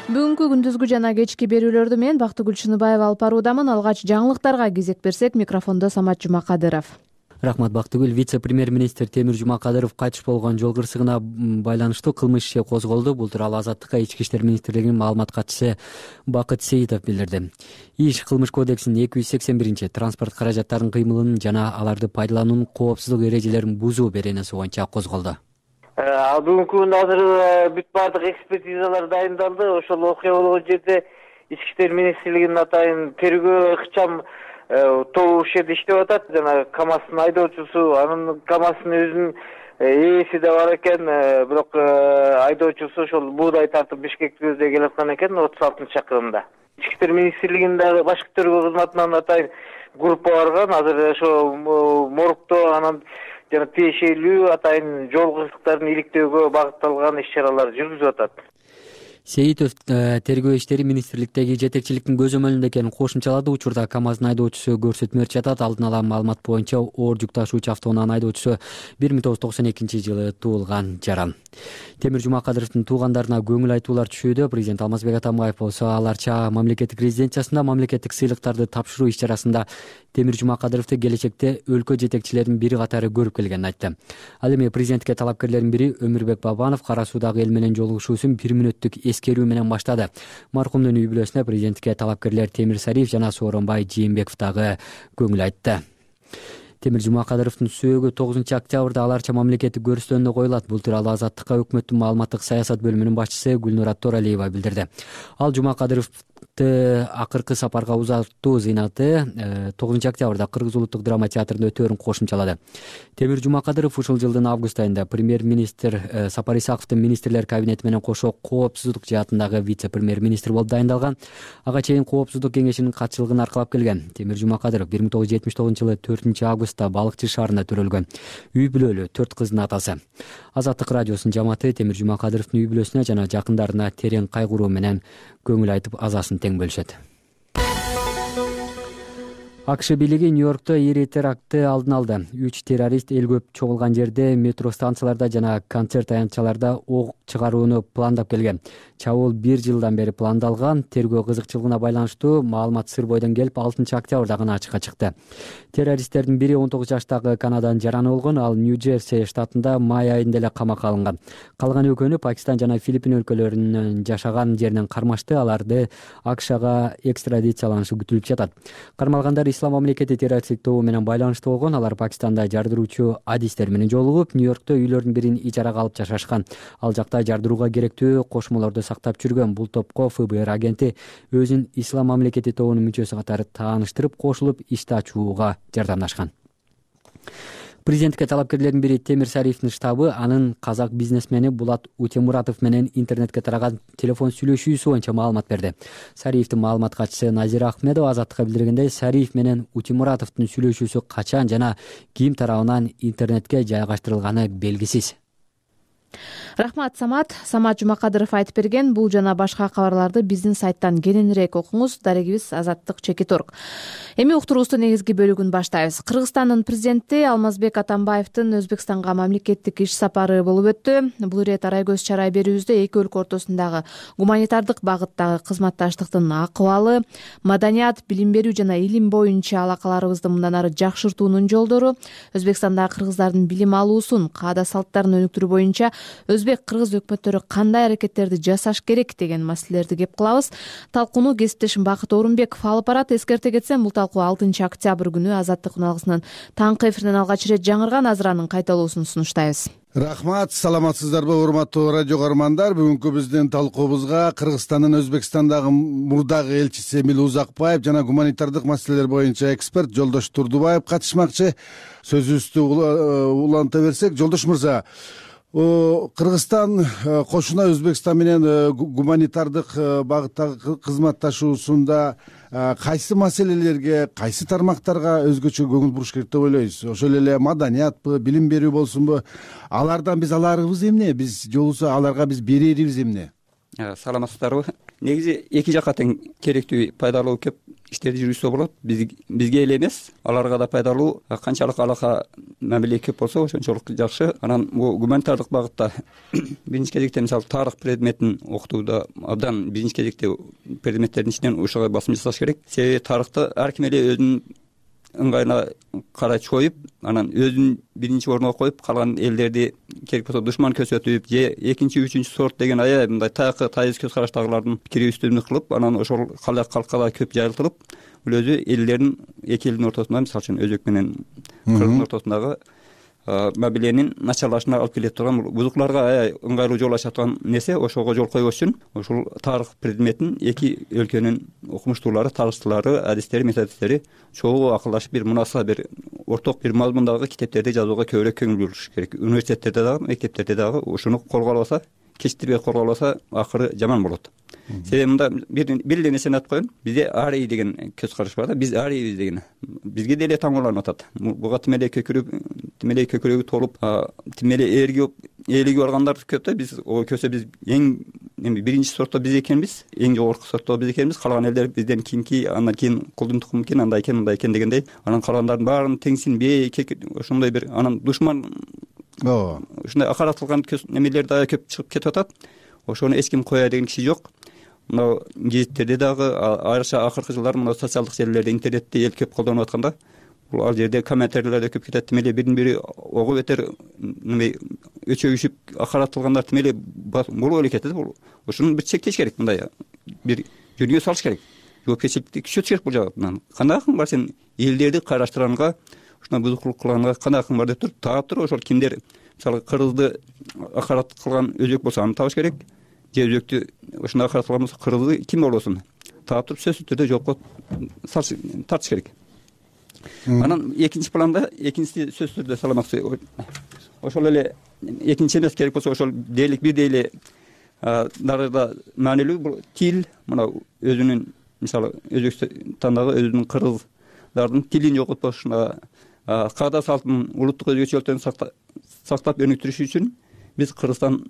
S8: Бүгүнкү күндүзгү жана кечки берүүлөрдү мен Бактыгүл Чыныбаева алып баруудамын. Алгач жаңылыктарга кезек берсек, микрофондо Самат Жумакадыров.
S9: Рахмат Бактыгүл. Вице-премьер-министр Темир Жумакадыров кайтыш болгон жол кырсыгына байланыштуу кылмыш иши козголду. Бул тууралуу Азаттыкка Ички иштер министрлигинин маалымат катчысы Бакыт Сейитов билдирди. ИШ кылмыш кодексинин 281 транспорт каражаттарынын кыймылын жана аларды пайдалануунун коопсуздук эрежелерин бузуу беренеси боюнча козголду.
S10: Бүгүнкү күндө азыр бүт баардык экспертизалар дайындалды. Ошол окуя болгон жерде Ички иштер министрлигинин атайын тергөө ыкчам тобу ушул жерде иштеп атат. Жана КАМАЗдын айдоочусу, анын КАМАЗдын өзүнүн ээси да бар экен. Бирок айдоочусу ошол буудай тартып Бишкекти көздөй келаткан экен 36-чакырымда. Ички иштер министрлигинин дагы башкы тергөө кызматынан атайын группа барган. Азыр ошо моргто анан жана тиешелүү атайын жол кырсыктарын иликтөөгө багытталган иш-чаралар жүргүзүп атат.
S9: Сейитов тергөө иштери министрликтеги жетекчиликтин көзөмөлүндө экенин кошумчалады. Учурда КАМАЗдын айдоочусу көрсөтмө жатат. Алдын ала маалымат боюнча оор жүк ташуучу автоунаанын айдоочусу 1992 туулган жаран. Темир Жумакадыровдун туугандарына көңүл айтуулар түшүүдө. Президент Алмазбек Атамбаев болсо аларча мамлекеттик резиденциясында мамлекеттик сыйлыктарды тапшыруу иш-чарасында Темир Жумакадыровду келечекте өлкө жетекчилеринин бири катары көрүп келгенин айтты. Ал эми президентке талапкерлердин бири Өмүрбек Бабанов кара суудагы эл менен жолугушуусун 1 мүнөттүк эскерүү менен баштады. Маркумдун үй бүлөсүнө президентке талапкерлер Темир Сариев жана Сооронбай Жээнбеков дагы көңүл айтты. Темир Жумакадыровдун сөөгү 9-октябрда аларча мамлекеттик көрүстөөнүндө коюлат. Бул тууралуу Азаттыкка өкмөттүн маалыматтык саясат бөлүмүнүн башчысы Гүлнур Торалиева билдирди. Ал Жумакадыровду акыркы сапарга узатуу зыйнаты 9-октябрда Кыргыз улуттук драма театрында өтөөрүн кошумчалады. Темир Жумакадыров ушул жылдын август айында премьер-министр Сапар Исаковдун министрлер кабинети менен кошо коопсуздук жаатындагы вице-премьер-министр болуп дайындалган. Ага чейин коопсуздук кеңешинин катчылыгын аркалап келген. Темир Жумакадыров 1979-жылы 4-августта Балыкчы шаарында төрөлгөн. Үй бүлөлүү 4 кыздын атасы. Азаттык радиосунун жамааты Темир Жумакадыровдун үй бүлөсүнө жана жакындарына терең кайгыруу менен көңүл айтып азасын тең бөлүшөт. АКШ бийлиги Нью-Йоркто ири терактты алдын алды. 3 террорист эл көп чогулган жерде, метро станцияларда жана концерт аянтчаларда ок чыгарууну пландап келген. Чабуул 1 жылдан бери пландалган. Тергөө кызыкчылыгына байланыштуу маалымат сыр бойдон келип 6 октябрда гана ачыкка чыкты. Террористтердин бири 19 жаштагы Канаданын жараны болгон, ал Нью-Джерси штатында май айында эле камакка алынган. Калган экөөнү Пакистан жана Филиппин өлкөлөрүнүн жашаган жеринен кармашты. Аларды АКШга экстрадицияланышы күтүлүп жатат. Кармалгандар Ислам мамлекети террористтик тобу менен байланыштуу болгон. Алар Пакистанда жардыруучу адистер менен жолугуп, Нью-Йоркто үйлөрдүн бирин ижарага алып жашашкан. Ал жакта жардырууга керектүү кошмолорду сактап жүргөн. Бул топко ФБР агенти өзүн Ислам мамлекети тобунун мүчөсү катары тааныштырып, кошулуп ишти ачууга жардамдашкан. Президентке талапкерлердин бири Темир Сариевдин штабы анын казак бизнесмени Булат Утемуратов менен интернетке тараган телефон сүйлөшүүсү боюнча маалымат берди. Сариевдин маалымат катчысы Назира Ахмедова Азаттыкка билдиргендей, Сариев менен Утемуратовдун сүйлөшүүсү качан жана ким тарабынан интернетке жайгаштырылганы белгисиз.
S8: Рахмат, Самат Жумакадыров айтып берген. Бул жана башка кабарларды биздин сайттан кененирээк окуңуз. Дарегибиз Азаттык ЧЕКИ.орг. Эми уктуруубуздун негизги бөлүгүн баштайбыз. Кыргызстандын президенти Алмазбек Атамбаевдин Өзбекстанга мамлекеттик иш сапары болуп өттү. Бул ирет арай көз чарай берүүбүздө эки өлкө ортосундагы гуманитардык багыттагы кызматташтыктын акыбалы, маданият, билим берүү жана илим боюнча алакаларыбызды мындан ары жакшыртуунун жолдору, Өзбекстандагы кыргыздардын билим алуусун, каада салттарын өнүктүрүү боюнча өзбек-кыргыз өкмөттөрү кандай аракеттерди жасаш керек деген маселелерди кеп кылабыз. Талкууну кесиптешим Бакыт Орунбеков алып барат. Эскерте кетсем, бул талкуу 6 октябрь күнү Азаттык уналгысынын таңкы эфиринен алгач ирет жаңырган. Азыр анын кайталоосун сунуштайбыз.
S11: Рахмат, саламатсыздарбы урматтуу радио көрөрмандар. Бүгүнкү биздин талкуубузга Кыргызстандын Өзбекстандагы мурдагы элчиси Эмил Узакбаев жана гуманитардык маселелер боюнча эксперт Жолдош Турдубаев катышмакчы. Сөзүбүздү уланта берсек, Жолдош мырза, Кыргызстан кошуна Өзбекстан менен гуманитардык багыттагы кызматташуусунда кайсы маселелерге, кайсы тармактарга өзгөчө көңүл буруш керек деп ойлойсуз? Ошол эле маданиятпы, билим берүү болсунбу? Алардан биз аларыбыз эмне? Биз жолусу аларга биз берерибиз эмне?
S12: Саламатсыздарбы? Негизи эки жакка тең керектүү, пайдалуу көп иштерди жүргүзсө болот. Бизге эле эмес, аларга да пайдалуу. Канчалык алака мамиле көп болсо, ошончолук жакшы. Анан бул гуманитардык багытта биринчи кезекте мисалы тарых предметин окутууда абдан биринчи кезекте предметтердин ичинен ушуга басым жасаш керек. Себеби тарыхты ар ким эле өзүнүн ыңгайына карай чоюп, анан өзүн биринчи орунга коюп, калган элдерди керек болсо душман көрсөтүп, же экинчи, үчүнчү сорт деген аябай мындай тайыз көз караштагылардын пикири үстүмдүк кылып, анан ошол калкка да көп жайылтылып, бул өзү элдердин, эки элдин ортосунда, мисалы үчүн өзбек менен кыргыздын ортосундагы мамиленин начарлашына алып келе турган, бузукларга аябай ыңгайлуу жол ача турган нерсе. Ошого жол койбош үчүн ушул тарых предметин эки өлкөнүн окумуштуулары, тарыхчылары, адистери, методисттери чогуу акылдашып, бир мунаса бир орток бир мазмундагы китептерди жазууга көбүрөөк көңүл буруш керек. Университеттерде дагы, мектептерде дагы ушуну корголбаса, кечиктирбей корголбаса, акыры жаман болот. Себеби мында бир эле нерсени айтып коеюн. Бизде арий деген көз караш бар да. Биз арийбиз деген. Бизге деле таңооланып атат. Буга тим эле көкүрөгү толуп, тим эле ээлиги баргандар көп да. Биз көсө биз эң биринчи сортто биз экенбиз, эң жогорку сортто биз экенбиз. Калган элдер бизден кийинки, андан кийин кулдун тукуму экен, андай экен, мындай экен дегендей. Анан калгандардын баарын теңсинбей, ошондой бир анан душман ушундай акаратылган немелер дагы көп чыгып кетип атат. Ошону эч ким коя деген киши жок. Мына гезиттерде дагы айрыкча акыркы жылдары мына социалдык желилерде, интернетте эл көп колдонуп атканда, бул ал жерде комментарийлерде көп кетет. Тим эле бирин бири ого бетер өчөгүшүп акаратылгандар тим эле болуп эле кетет. Ушуну бир чектеш керек, мындай бир жөнүгө салыш керек. Жоопкерчиликти күчөтүш керек бул жагынан. Кандай акың бар сен элдерди кайраштырганга, ушуна бузукулук кылганга кандай акың бар деп туруп, таап туруп, ошол кимдер мисалы кыргызды акарат кылган өзбек болсо аны табыш керек. Же өзбектү ушундай акаратылган болсо кыргызды ким болбосун таап туруп сөзсүз түрдө жоопко тартыш керек. Анан экинчи планда, экинчиси сөзсүз түрдө саламатчы. Ошол эле экинчи эмес, керек болсо ошол дээрлик бир дээрле дарыда маанилүү бул тил. Мына өзүнүн мисалы Өзбекстандагы өзүнүн кыргыздардын тилин жоготпош, каада салтын, улуттук өзгөчөлүктөрүн сактап өнүктүрүш үчүн биз Кыргызстан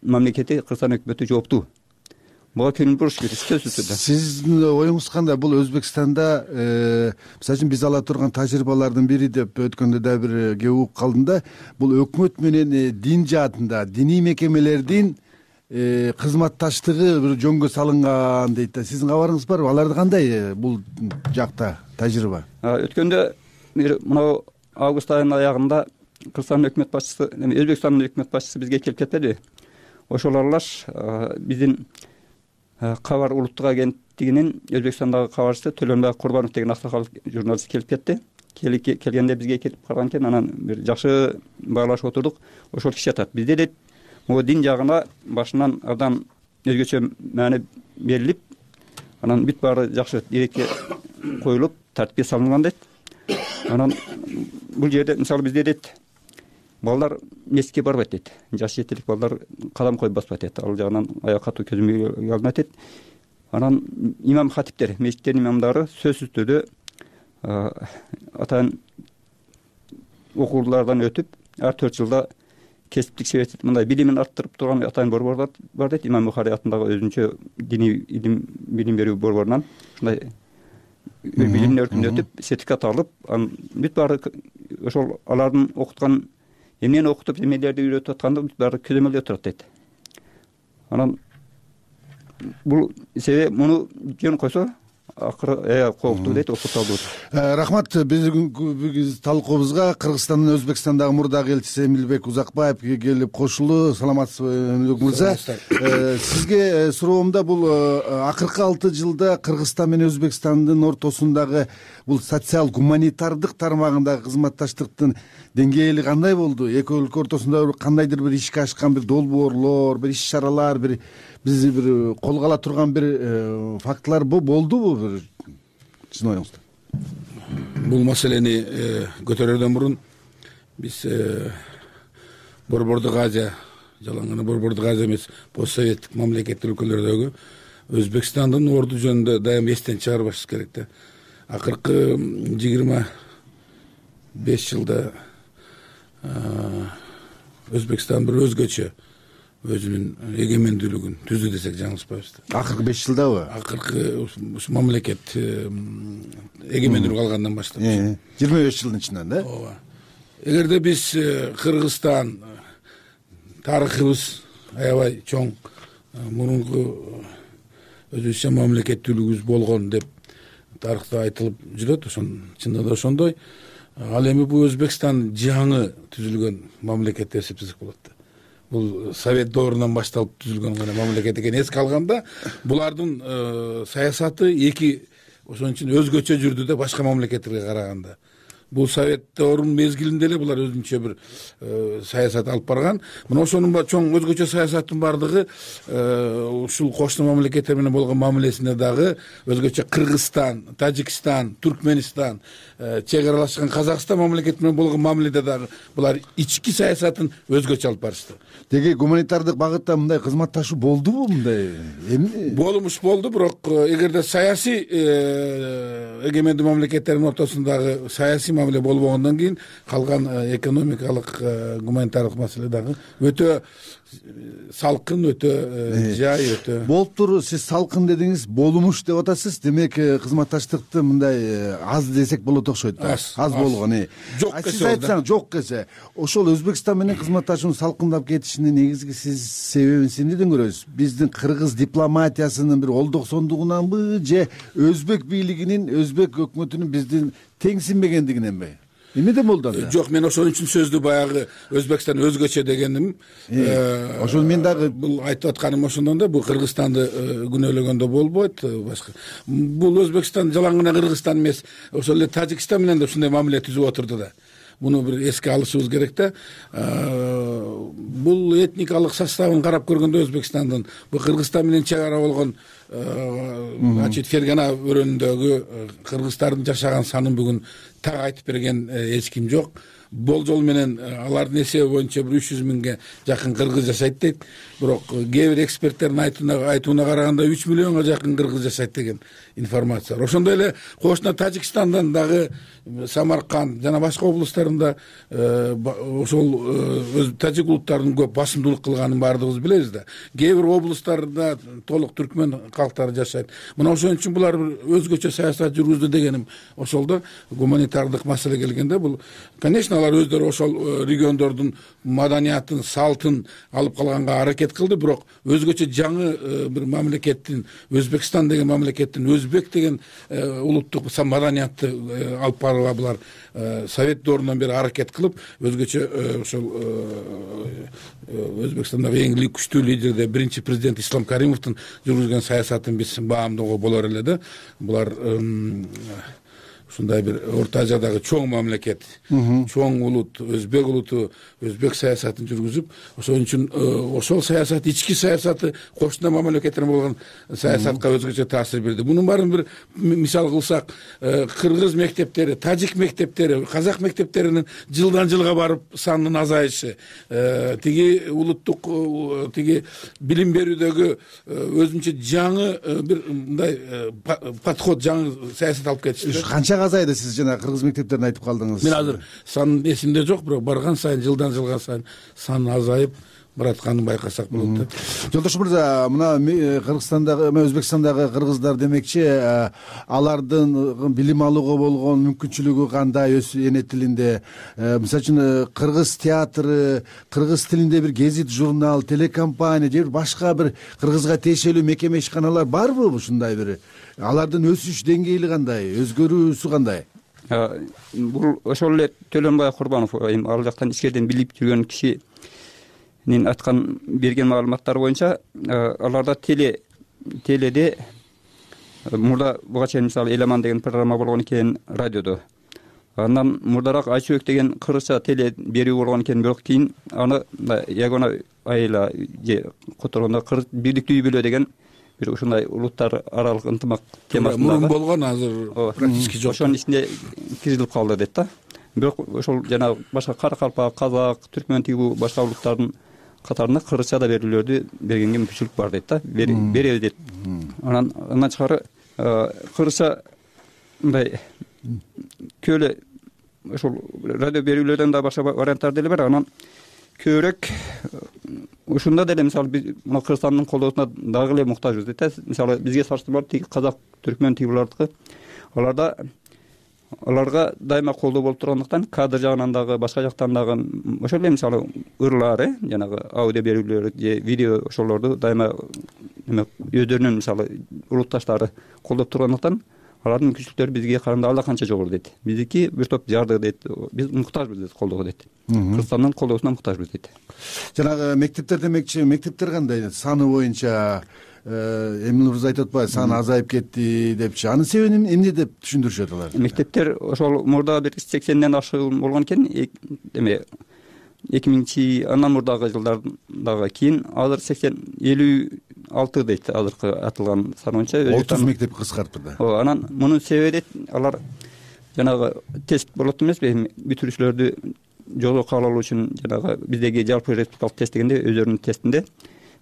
S12: мамлекети, Кыргызстан өкмөтү жооптуу. буга көңүл буруш керек сөзсүз түрдө.
S11: Сиздин оюңуз кандай? Бул Өзбекстанда мисалы үчүн биз ала турган тажрыйбалардын бири деп өткөндө да бир кеп угуп калдым да, бул өкмөт менен дин жаатында диний мекемелердин кызматташтыгы бир жөнгө салынган дейт да. Сиздин кабарыңыз барбы? Аларда кандай бул жакта тажрыйба?
S12: Өткөндө мынау август айынын аягында Кыргызстандын өкмөт башчысы, Өзбекстандын өкмөт башчысы бизге келип кетпеди. Ошол аралаш биздин кабар улуттук агенттигинин Өзбекстандагы кабарчысы Төлөнбай Курбанов деген аксакал журналист келип кетти. Келгенде бизге келип караган экен, анан бир жакшы баалашып отурдук. Ошол киши айтат, бизде дейт, могу дин жагына башынан абдан өзгөчө маани берилип, анан бүт баары жакшы эрекке коюлуп, тартипке салынган дейт. Анан бул жерде мисалы бизде дейт, балдар мекитке барбайт дейт. Жаш жетелик балдар кадам коюп баспайт дейт. Ал жагынан аяк катуу көзөмөлгө алынат дейт. Анан имам хатиптер, мечиттердин имамдары сөзсүз түрдө атайын окуулардан өтүп, ар 4 жылда кесиптик себептен мындай билимин арттырып турган атайын борбор бар дейт. Имам Бухари атындагы өзүнчө диний билим берүү борборунан ушундай билим өркүндө өтүп, сертификат алып, анан бүт баары ошол алардын окуткан эмнени окутуп, эмнелерди үйрөтүп атканда бүт баары көзөмөлдө турат дейт. Анан бул себеби муну жөн койсо акыры кооктуу дейт, окуталдуу.
S11: Рахмат. Биз талкуубузга Кыргызстандын Өзбекстандагы мурдагы элчиси Эмилбек Узакбаев келип кошулду. Саламатсызбы Эмилбек мырза? Сизге суроомда бул акыркы 6 жылда Кыргызстан менен Өзбекстандын ортосундагы бул социал гуманитардык тармагындагы кызматташтыктын деңгээли кандай болду? Эки өлкө ортосунда кандайдыр бир ишке ашкан бир долбоорлор, бир иш-чаралар, бизди бир колго ала турган бир фактылар болдубу? Сиздин оюңузда.
S13: Бул маселени көтөрөрдөн мурун биз Борбордук Азия, жалаң гана Борбордук Азия эмес, постсоветтик мамлекеттик өлкөлөрдөгү Өзбекстандын орду жөнүндө дайым эстен чыгарбаш керек да. Акыркы 25 жылда Өзбекстан бир өзгөчө өзүнүн эгемендүүлүгүн түздү десек жаңылышпайбыз.
S11: Акыркы 5 жылдабы?
S13: Акыркы ушу мамлекет эгемендүүлүк алгандан баштап
S11: 25 жылдын ичинен да?
S13: Ооба. Эгерде биз Кыргызстан тарыхыбыз аябай чоң, мурунку өзүбүзчө мамлекеттүүлүгүбүз болгон деп тарыхта айтылып жүрөт, чында да ошондой. Ал эми бул Өзбекстан жаңы түзүлгөн мамлекет деп эсептесек болот да. Бул Совет доорунан башталып түзүлгөн гана мамлекет экен. Эске алганда булардын саясаты ошон үчүн өзгөчө жүрдү да башка мамлекеттерге караганда. Бул Совет доорунун мезгилинде эле булар өзүнчө бир саясат алып барган. Мына ошонун чоң өзгөчө саясаттын бардыгы ушул кошуна мамлекеттер менен болгон мамилесинде дагы өзгөчө Кыргызстан, Тажикстан, Түркменистан, чек аралашкан Казакстан мамлекети менен болгон мамиледе дагы булар ички саясатын өзгөчө алып барышты.
S11: Деги гуманитардык багытта мындай кызматташуу болдубу мындай?
S13: Болду, бирок эгерде саясий эгемендүү мамлекеттердин ортосундагы саясий мамиле болбогондон кийин калган экономикалык гуманитардык маселе дагы өтө салкын, өтө жай, өтө
S11: болуптур. Сиз салкын дедиңиз, болумуш деп атасыз. Демек кызматташтыкты мындай аз десек болот окшойт. Аз болгон. Сиз айтсаңыз, жок десе, ошол Өзбекстан менен кызматташуунун салкындап кетишинин негизги сиз себебин эмнеден көрөсүз? Биздин кыргыз дипломатиясынын бир олдоксондугунанбы же өзбек бийлигинин, өзбек өкмөтүнүн биздин теңсинбегендигиненби? Эмнеден болду анда?
S13: Жок, мен ошон үчүн сөздү баягы Өзбекстан өзгөчө дегеним.
S11: Ошол мен дагы
S13: бул айтып атканым ошондон да, бул Кыргызстанды күнөөлөгөндө болбойт башка. Бул Өзбекстан жалаң гана Кыргызстан эмес, ошол эле Тажикстан менен да ушундай мамиле түзүп отурду да. Муну бир эске алышыбыз керек да. Бул этникалык составын карап көргөндө Өзбекстандын бул Кыргызстан менен чек ара болгон значит фергана өрөөнүндөгү кыргыздардын жашаган санын бүгүн так айтып берген эч ким жок. Болжол менен алардын эсеби боюнча 300 миңге жакын кыргыз жашайт дейт. Бирок кээ бир эксперттердин айтууна караганда 3 миллионго жакын кыргыз жашайт деген информация бар. Ошондой эле кошуна Тажикстандан дагы Самарканд жана башка облустарында ошол тажик улуттарынын көп басымдуулук кылганын баардыгыбыз билебиз да. Кээ бир облустарда толук түркмөн калктары жашайт. Мына ошон үчүн булар өзгөчө саясат жүргүздү дегеним ошол да. Гуманитардык маселе келгенде бул, конечно, алар өздөрү ошол региондордун маданиятын, салтын алып калганга аракет кылды, бирок өзгөчө жаңы бир мамлекеттин, Өзбекстан деген мамлекеттин өзбек деген улуттук маданиятты алып барууга булар совет доорунан бери аракет кылып, өзгөчө ошол Өзбекстандагы эң күчтүү лидерде биринчи президент Ислам Каримовдун жүргүзгөн саясатын биз баамдоого болор эле да. Булар ушундай бир Орто Азиядагы чоң мамлекет, чоң улут, өзбек улуту, өзбек саясатын жүргүзүп, ошон үчүн ошол саясат, ички саясаты кошуна мамлекеттерге болгон саясатка өзгөчө таасир берди. Мунун баарын бир мисал кылсак, кыргыз мектептери, тажик мектептери, казак мектептеринин жылдан жылга барып санынын азайышы, тиги улуттук тиги билим берүүдөгү өзүнчө жаңы бир мындай подход, жаңы саясат алып кетишти.
S11: Канча азайды сиз жана кыргыз мектептерин айтып калдыңыз.
S13: Мен азыр санын эсимде жок, бирок барган сайын жылдан жылга сайын сан азайып баратканын байкасак болот да.
S11: Жолдош мырза, мына Кыргызстандагы, Өзбекстандагы кыргыздар демекчи, алардын билим алууга болгон мүмкүнчүлүгү кандай эне тилинде? Мисалы үчүн кыргыз театры, кыргыз тилинде бир гезит, журнал, телекомпания же башка бир кыргызга тиешелүү мекеме ишканалар барбы ушундай бир? Алардын өсүш деңгээли кандай, өзгөрүүсү кандай?
S12: Бул ошол эле Төлөнбай Курбанов ал жактан ичкериден билип жүргөн кишинин айткан берген маалыматтары боюнча, аларда теледе мурда буга чейин мисалы Эламан деген программа болгон экен радиодо. Андан мурдараак Айчүбек деген кыргызча теле берүү болгон экен, бирок кийин аны Ягона айла же которгондо кыргыз бийликтүү үй бүлө деген бир ушундай улуттар аралык ынтымак темасында
S13: мурун болгон, азыр практически жок.
S12: Ошонун ичинде киргизилип калды дейт да. Бирок ошол жана башка Каракалпак, Казак, Түркмөн тигүү башка улуттардын катарында кыргызча да берүүлөрдү бергенге мүмкүнчүлүк бар дейт да. Беребиз дейт. Анан тышкары кыргызча мындай көөлө ошол радио берүүлөрдөн да башка варианттар деле бар. Анан көбүрөөк ушунда деле мисалы биз мына Кыргызстандын колдоосуна дагы эле муктажбыз дейт. Мисалы бизге салыштырмалуу тиги казак, түркмөн тигилардыкы аларга дайыма колдоо болуп тургандыктан кадр жагынан дагы башка жактан дагы ошол эле мисалы ырлар, жанагы аудио берүүлөр же видео ошолорду дайыма өздөрүнүн мисалы улутташтары колдоп тургандыктан алардын мүмкүнчүлүктөрү бизге караганда алда канча жогору дейт. Биздики бир топ жарды дейт. Биз муктажбыз дейт колдоого дейт. Кыргызстандын колдоосуна муктажбыз дейт.
S11: Жанагы мектептер демекчи, мектептер кандай саны боюнча? Эмил мырза айтып атпайбы, саны азайып кетти депчи. Анын себебин эмне деп түшүндүрүшөт алар?
S12: Мектептер ошол мурда бир 80ден ашык болгон экен. Эме 2000 андан мурдагы жылдардагы кийин азыр 56 дейт азыркы атылган сан боюнча.
S11: 30 мектеп кыскартты да.
S12: Анан мунун себеби дейт, алар жанагы тест болот эмеспи, бүтүрүүчүлөрдү жолго кабыл алуу үчүн жанагы биздеги жалпы республикалык тест дегенде өздөрүнүн тестинде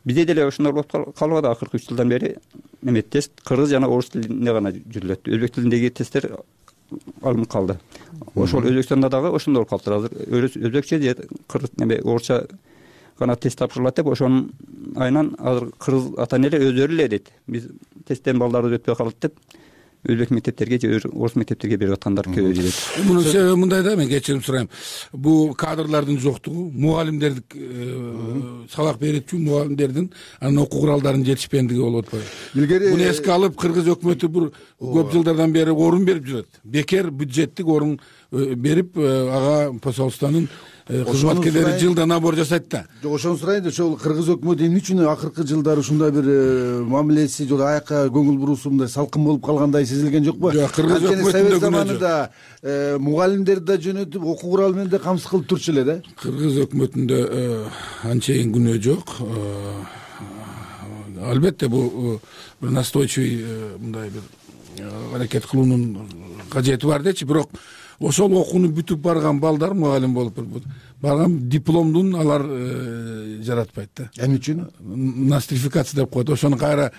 S12: бизде деле ошондой болуп калбады. Акыркы 3 жылдан бери эме тест кыргыз жана орус тилинде гана жүрүлөт. Өзбек тилиндеги тесттер алынып калды. Ошол Өзбекстанда дагы ошондой болуп калыптыр. Азыр өзбекче же кыргыз эме орусча гана тест тапшырылат деп ошонун айынан азыр кыргыз ата энелер өздөрү эле дейт. Биз тесттен балдарыбыз өтпөй калат деп өзбек мектептерге же орус мектептерге берип аткандар көбөйдү дейт.
S13: Мунун себеби мындай да, мен кечирим сурайм. Бул кадрлардын жоктугу, мугалимдердин сабак берүүчү мугалимдердин анын окуу куралдарынын жетишпендиги болуп атпайбы? Илгери муну эске алып кыргыз өкмөтү бир көп жылдардан бери орун берип жүрөт. Бекер бюджеттик орун берип ага посольствонун кызматкерлери жылда набор жасайт да.
S11: Жок, ошону сурайын, ошол кыргыз өкмөтү эмне үчүн акыркы жылдары ушундай бир мамилеси же аяка көңүл буруусу мындай салкын болуп калгандай сезилген жокпу?
S13: Жок, кыргыз өкмөтүндө
S11: совет заманында мугалимдерди да жөнөтүп, окуу куралы менен да камсыз кылып турчу эле да.
S13: Кыргыз өкмөтүндө анчейин күнөө жок. албетте бул бир настойчивый мындай бир аракет кылуунун кажети бар дечи. Бирок ошол окууну бүтүп барган балдар мугалим болуп барган дипломдун алар жаратпайт да.
S11: Эмне үчүн?
S13: Нострификация деп коет. Ошону кайра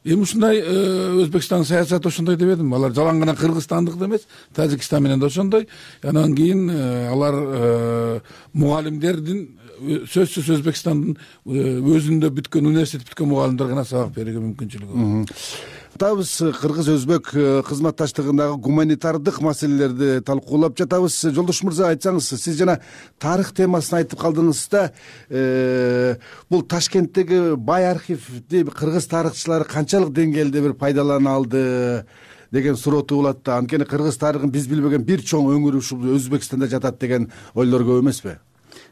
S13: эми ушундай Өзбекстандын саясаты ошондой деп элем. Алар жалаң гана Кыргызстандык эмес, Тажикстан менен да ошондой. Анан кийин алар мугалимдердин сөзсүз Өзбекстандын өзүндө бүткөн университет бүткөн мугалимдер гана сабак берүүгө мүмкүнчүлүгү бар.
S11: Атабыз кыргыз-өзбек кызматташтыгындагы гуманитардык маселелерди талкуулап жатабыз. Жолдош мырза, айтсаңыз, сиз жана тарых темасын айтып калдыңыз да, бул Ташкенттеги бай архивди кыргыз тарыхчылары канчалык деңгээлде бир пайдалана алды деген суроо туулат да. Анткени кыргыз тарыхын биз билбеген бир чоң өңүр ушул Өзбекстанда жатат деген ойлор көп эмеспи?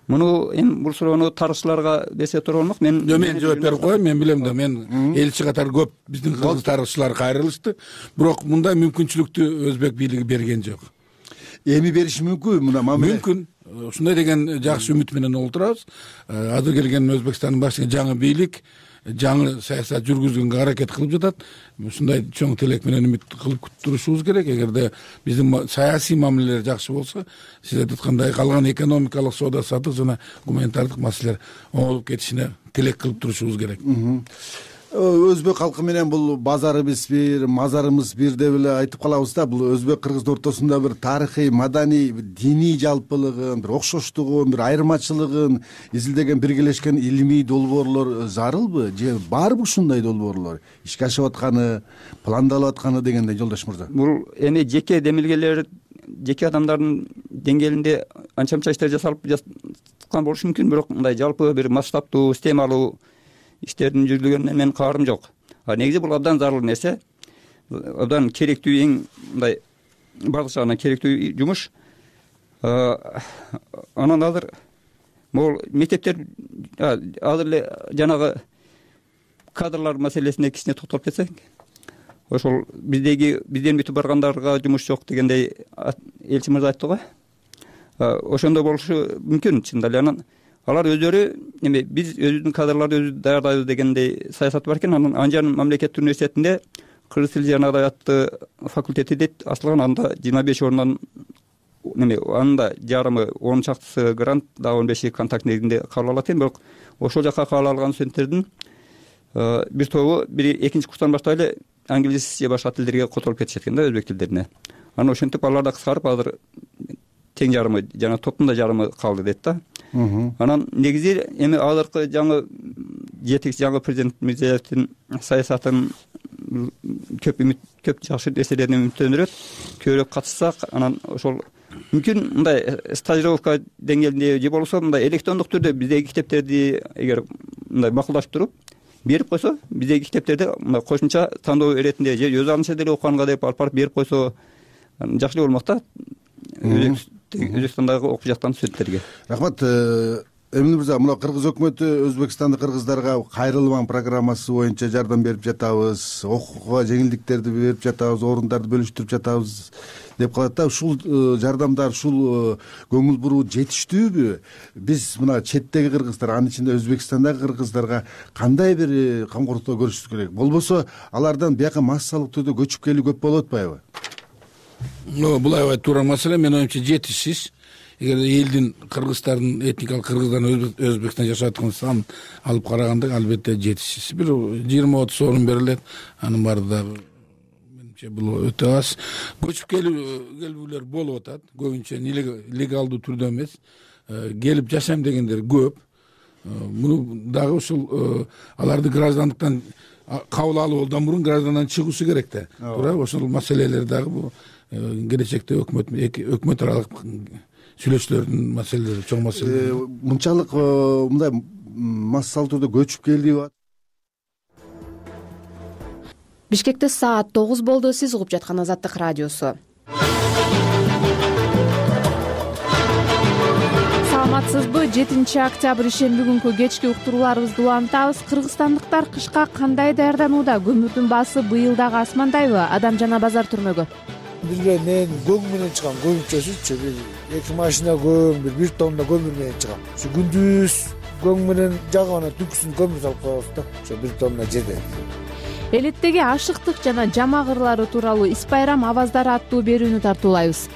S12: Муну эми бул суроону тарыхчыларга берсе туура болмок. Мен
S13: жооп берип коеюн. Мен билем да, мен элчи катары көп биздин кыргыз тарыхчылар кайрылышты. Бирок мындай мүмкүнчүлүктү өзбек бийлиги берген жок.
S11: Эми бериши мүмкүн мына мамиле?
S13: Мүмкүн. Ушундай деген жакшы үмүт менен олтурабыз. Азыр келген Өзбекстандын башчысы жаңы бийлик жаңы саясат жүргүзгөнгө аракет кылып жатат. Ушундай чоң тилек менен үмүт кылып турушубуз керек. Эгерде биздин саясий мамилелер жакшы болсо, сиз айткандай калган экономикалык соода сатык жана гуманитардык маселелер оңолуп кетишине тилек кылып турушубуз керек.
S11: Өзбек халкы менен бул базарыбыз бир, мазарыбыз бир деп эле айтып калабыз да. Бул өзбек кыргыздын ортосунда бир тарыхый, маданий, диний жалпылыгын, бир окшоштугун, бир айырмачылыгын изилдеген биргелешкен илимий долбоорлор зарылбы же барбы ушундай долбоорлор? Ишке ашып атканы, пландалып атканы дегендей, жолдош мырза.
S12: Бул эми жеке демилгелер, жеке адамдардын деңгээлинде анча-мынча иштер жасалып жаткан болушу мүмкүн, бирок мындай жалпы бир масштабтуу, системалуу иштердин жүргүзүлгөнүнө мен каарым жок. Негизи бул абдан зарыл нерсе, абдан керектүү, эң мындай бардык жагынан керектүү жумуш. Анан азыр могул мектептер азыр эле жанагы кадрлар маселесине кичине токтолуп кетсек, ошол бизден бүтүп баргандарга жумуш жок дегендей элчи мырза айтты го. Ошондой болушу мүмкүн чындап эле. Анан алар өздөрү эме биз өзүбүздүн кадрларды өзүбүз даярдайбыз дегендей саясат бар экен. Анан Анжан мамлекеттик университетинде кыргыз тили жана адабияты факультети дейт ачылган. Анда 25 орундан эме анда жарымы 10 чактысы грант, дагы 15 контакт негизинде кабыл алат экен. Бирок ошол жака кабыл алган студенттердин бир тобу экинчи курстан баштап эле англис же башка тилдерге которуп кетишет экен да, өзбек тилдерине. Анан ошентип алар да кыскарып азыр тең жарымы жана топтун да жарымы калды дейт да. Анан негизи эми азыркы жаңы жетекчи жаңы президент Мирзиёевдин саясатын көп жакшы нерселерден үмүттөнүрөт. Көбүрөөк катышсак, анан ошол мүмкүн мындай стажировка деңгээлинде же болбосо мындай электрондук түрдө биздеги китептерди эгер мындай макулдашып туруп берип койсо, биздеги китептерди мындай кошумча тандоо иретинде же өз алдынча деле окуганга деп алып барып берип койсо жакшы эле болмок да. Өзбекстандагы окуп жаткан студенттерге.
S11: Рахмат. Эмин мырза, мына кыргыз өкмөтү Өзбекстандын кыргыздарга кайрылман программасы боюнча жардам берип жатабыз, окууга жеңилдиктерди берип жатабыз, орундарды бөлүштүрүп жатабыз деп калат да. Ушул жардамдар, ушул көңүл буруу жетиштүүбү? Биз мына четтеги кыргыздар, анын ичинде Өзбекстандагы кыргыздарга кандай бир камкорлукту көрүшүбүз керек? Болбосо алардан бияка массалык түрдө көчүп келүү көп болуп атпайбы?
S13: Бул аябай туура маселе. Мен оюмча жетишсиз. Эгер элдин кыргыздардын этникалык кыргыздардын Өзбекстанда жашап аткан санын алып караганда албетте жетишсиз. Бир 20-30 орун берилет. Анын баары дагы менимче бул өтө аз. Көчүп келүүлөр болуп атат. Көбүнчө легалдуу түрдө эмес. Келип жашайм дегендер көп. Муну дагы ушул аларды граждандыктан кабыл алуудан мурун граждандан чыгуусу керек да. Туура, ошол маселелер дагы бул келечекте өкмөт аралык сүйлөшүүлөрдүн маселелери, чоң маселе.
S11: Мынчалык мындай массалык түрдө көчүп келди.
S8: Бишкекте саат 9 болду. Сиз угуп жаткан Азаттык радиосу. Саламатсызбы? 7 октябрь ишемби күнкү кечки уктурууларыбызды улантабыз. Кыргызстандыктар кышка кандай даярданууда? Көмүрдүн баасы быйыл дагы асмандайбы? Адам жана базар түрмөгү.
S14: Билбейм, мен көң менен чыгам, көбүнчөсүчү бир 2 машина көм, бир тонна көмүр менен чыгам. Ушу күндүз көң менен жагып анан түнкүсүн көмүр салып коебуз да ошо 1 тонна жерде.
S8: Элеттеги ашыктык жана жамак ырлары тууралуу Ис байрам аваздары аттуу берүүнү тартуулайбыз.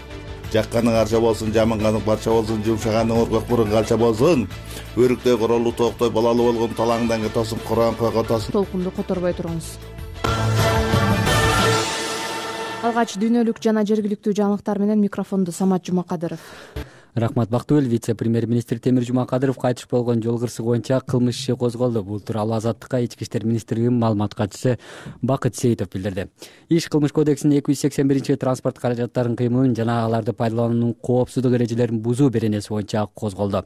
S15: Жакканың арча болсун, жаманганың парча болсун, жумшаганың оргок бурун калча болсун. Өрүктөй королуу тооктой балалуу болгон талаңдан кетосуң, Куран койго тосун.
S8: Толкунду которбой туруңуз. Алгач дүйнөлүк жана жергиликтүү жаңылыктар менен микрофонду Самат Жумакадыров.
S9: Рахмат Бактыгүл. Вице-премьер-министр Темир Жумакадыров кайтыш болгон жол кырсыгы боюнча кылмыш иши козголду. Бул тууралуу Азаттыкка Ички иштер министрлигинин маалымат катчысы Бакыт Сейитов билдирди. Иш Кылмыш кодексинин 281 транспорт каражаттарын кыймылын жана аларды пайдалануунун коопсуздук эрежелерин бузуу беренеси боюнча козголду.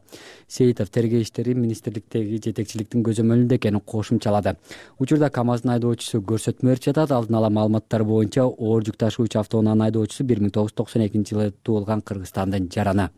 S9: Сейитов тергөө иштери министрликтеги жетекчиликтин көзөмөлүндө экенин кошумчалады. Учурда КАМАЗдын айдоочусу көрсөтмө берип жатат. Алдын ала маалыматтар боюнча оор жүк ташуучу автоунаанын айдоочусу 1992-жылы туулган Кыргызстандын жараны.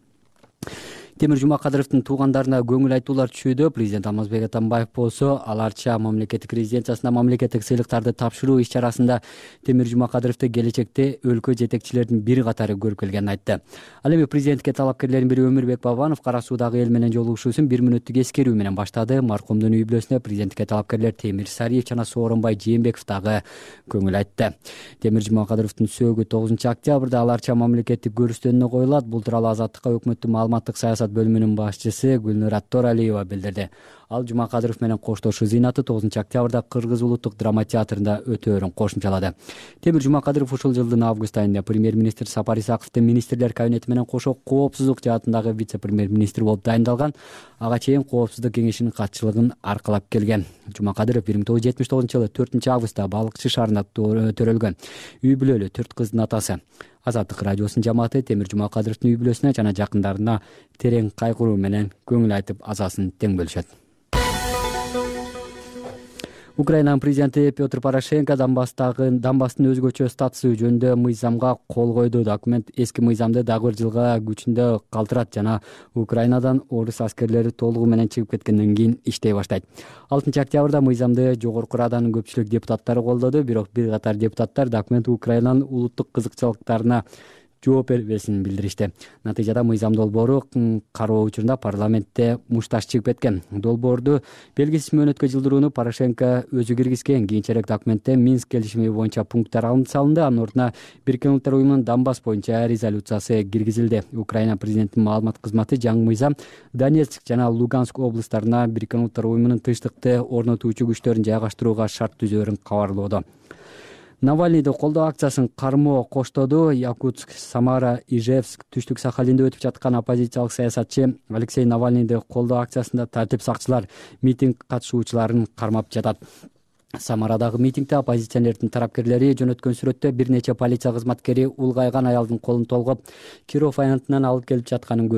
S9: Темир Жумакадыровдун туугандарына көңүл айтуулар түшүүдө. Президент Алмазбек Атамбаев болсо Аларча мамлекеттик резиденциясында мамлекеттик сыйлыктарды тапшыруу иш-чарасында Темир Жумакадыровду келечекте өлкө жетекчилеринин бир катары көрүп келгенин айтты. Ал эми президентке талапкерлердин бири Өмүрбек Бабанов Кара Суудагы эл менен жолугушуусун 1 мүнөттүк эскерүү менен баштады. Маркумдун үй бүлөсүнө президентке талапкерлер Темир Сариев жана Сооронбай Жээнбеков дагы көңүл айтты. Темир Жумакадыровдун сөөгү 9-октябрда Аларча мамлекеттик көрүстөнүнө коюлат. Бул тууралуу Азаттыкка өкмөттүн маалыматтык саясат бөлүмүнүн башчысы Гүлнур Торалиева билдирди. Ал Жумакадыров менен коштошуу зыйнаты 9-октябрда Кыргыз улуттук драма театрында өтөөрүн кошумчалады. Темир Жумакадыров ушул жылдын август айында премьер-министр Сапар Исаковдун министрлер кабинети менен кошо коопсуздук жаатындагы вице-премьер-министр болуп дайындалган. Ага чейин коопсуздук кеңешинин катчылыгын аркалап келген. Жумакадыров 1979-жылы 4-августта Балыкчы шаарында төрөлгөн. Үй бүлөлүү 4 кыздын атасы. Азаттык радиосунун жамааты Темир Жумакадыровдун үй бүлөсүнө жана жакындарына терең кайгыруу менен көңүл айтып азасын тең бөлүшөт. Украинанын президенти Петр Порошенко Донбасстын өзгөчө статусу жөнүндө мыйзамга кол койду. Документ эски мыйзамды дагы 1 жылга күчүндө калтырат жана Украинадан орус аскерлери толугу менен чыгып кеткенден кийин иштей баштайт. 6-октябрда мыйзамды жогорку раданын көпчүлүк депутаттары колдоду, бирок бир катар депутаттар документ Украинанын улуттук кызыкчылыктарына жооп бербесин билдиришти. Натыйжада мыйзам долбоору кароо учурунда парламентте мушташ чыгып кеткен. Долбоорду белгисиз мөөнөткө жылдырууну Порошенко өзү киргизген. Кийинчерээк документте Минск келишими боюнча пункттар алынып салынды. Анын ордуна Бириккен Улуттар уюмунун Донбасс боюнча резолюциясы киргизилди. Украина президентинин маалымат кызматы жаңы мыйзам Донецк жана Луганск облустарына Бириккен Улуттар уюмунун тынчтыкты орнотуучу күчтөрүн жайгаштырууга шарт түзөөрүн кабарлоодо. Навальныйды колдоо акциясын кармоо коштоду. Якутск, Самара, Ижевск, Түштүк Сахалинде өтүп жаткан оппозициялык саясатчы Алексей Навальныйды колдоо акциясында тартип сакчылар митинг катышуучуларын кармап жатат. Самарадагы митингде оппозиционердин тарапкерлери жөнөткөн сүрөттө бир нече полиция кызматкери улгайган аялдын колун толгоп, Киров аянтынан алып кетип жатканын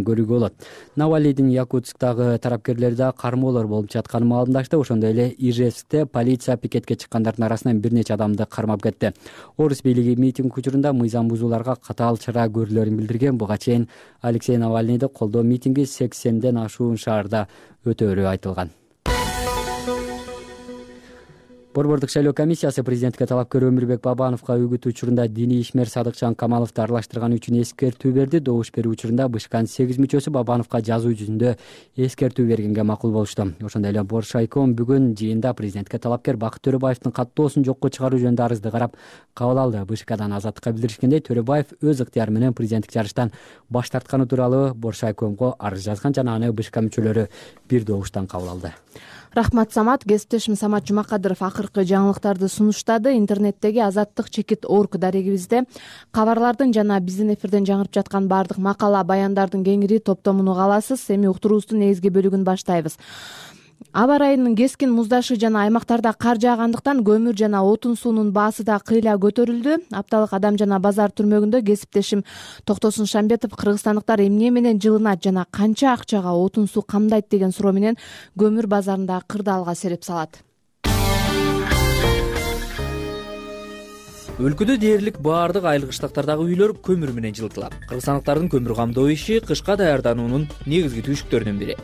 S9: көрүүгө болот. Навальныйдын Якутсктагы тарапкерлери да кармоолор болуп жатканын маалымдашты. Ошондой эле Ижевскте полиция пикетке чыккандардын арасынан бир нече адамды кармап кетти. Орус бийлиги митинг учурунда мыйзам бузууларга катаал чара көрүлөрүн билдирген. Буга чейин Алексей Навальныйды колдоо митинги 80ден ашуун шаарда өтөөрү айтылган. Борбордук шайлоо комиссиясы президентке талапкер Өмүрбек Бабановго үгүт учурунда диний ишмер Садыкчан Камаловду аралаштырган үчүн эскертүү берди. Добуш берүү учурунда БШКнын 8 мүчөсү Бабановго жазуу жүзүндө эскертүү бергенге макул болушту. Ошондой эле Боршайком бүгүн жыйында президентке талапкер Бакыт Төрөбаевдин каттоосун жокко чыгаруу жөнүндө арызды карап кабыл алды. БШКдан Азаттыкка билдиришкендей, Төрөбаев өз ыктыяры менен президенттик жарыштан баш тартканы тууралуу Боршайкомго арыз жазган жана аны БШК мүчөлөрү бир добуштан кабыл алды.
S8: Рахмат Самат. Кесиптешим Самат Жумакадыров акыркы жаңылыктарды сунуштады. Интернеттеги Азаттык /org дарегибизде кабарлардын жана биздин эфирден жаңырып жаткан баардык макала, баяндардын кеңири топтомун уга аласыз. Эми уктуруубуздун негизги бөлүгүн баштайбыз. Аба ырайынын кескин муздашы жана аймактарда кар жаагандыктан көмүр жана отун суунун баасы да кыйла көтөрүлдү. Апталык Адам жана базар түрмөгүндө кесиптешим Токтосун Шамбетов кыргызстандыктар эмне менен жылынат жана канча акчага отун суу камдайт деген суроо менен көмүр базарында кырдаалга сереп салат.
S16: Өлкөдө дээрлик баардык айыл кыштактардагы үйлөр көмүр менен жылытылат. Кыргызстандыктардын көмүр камдоо иши кышка даярдануунун негизги түйшүктөрүнүн бири.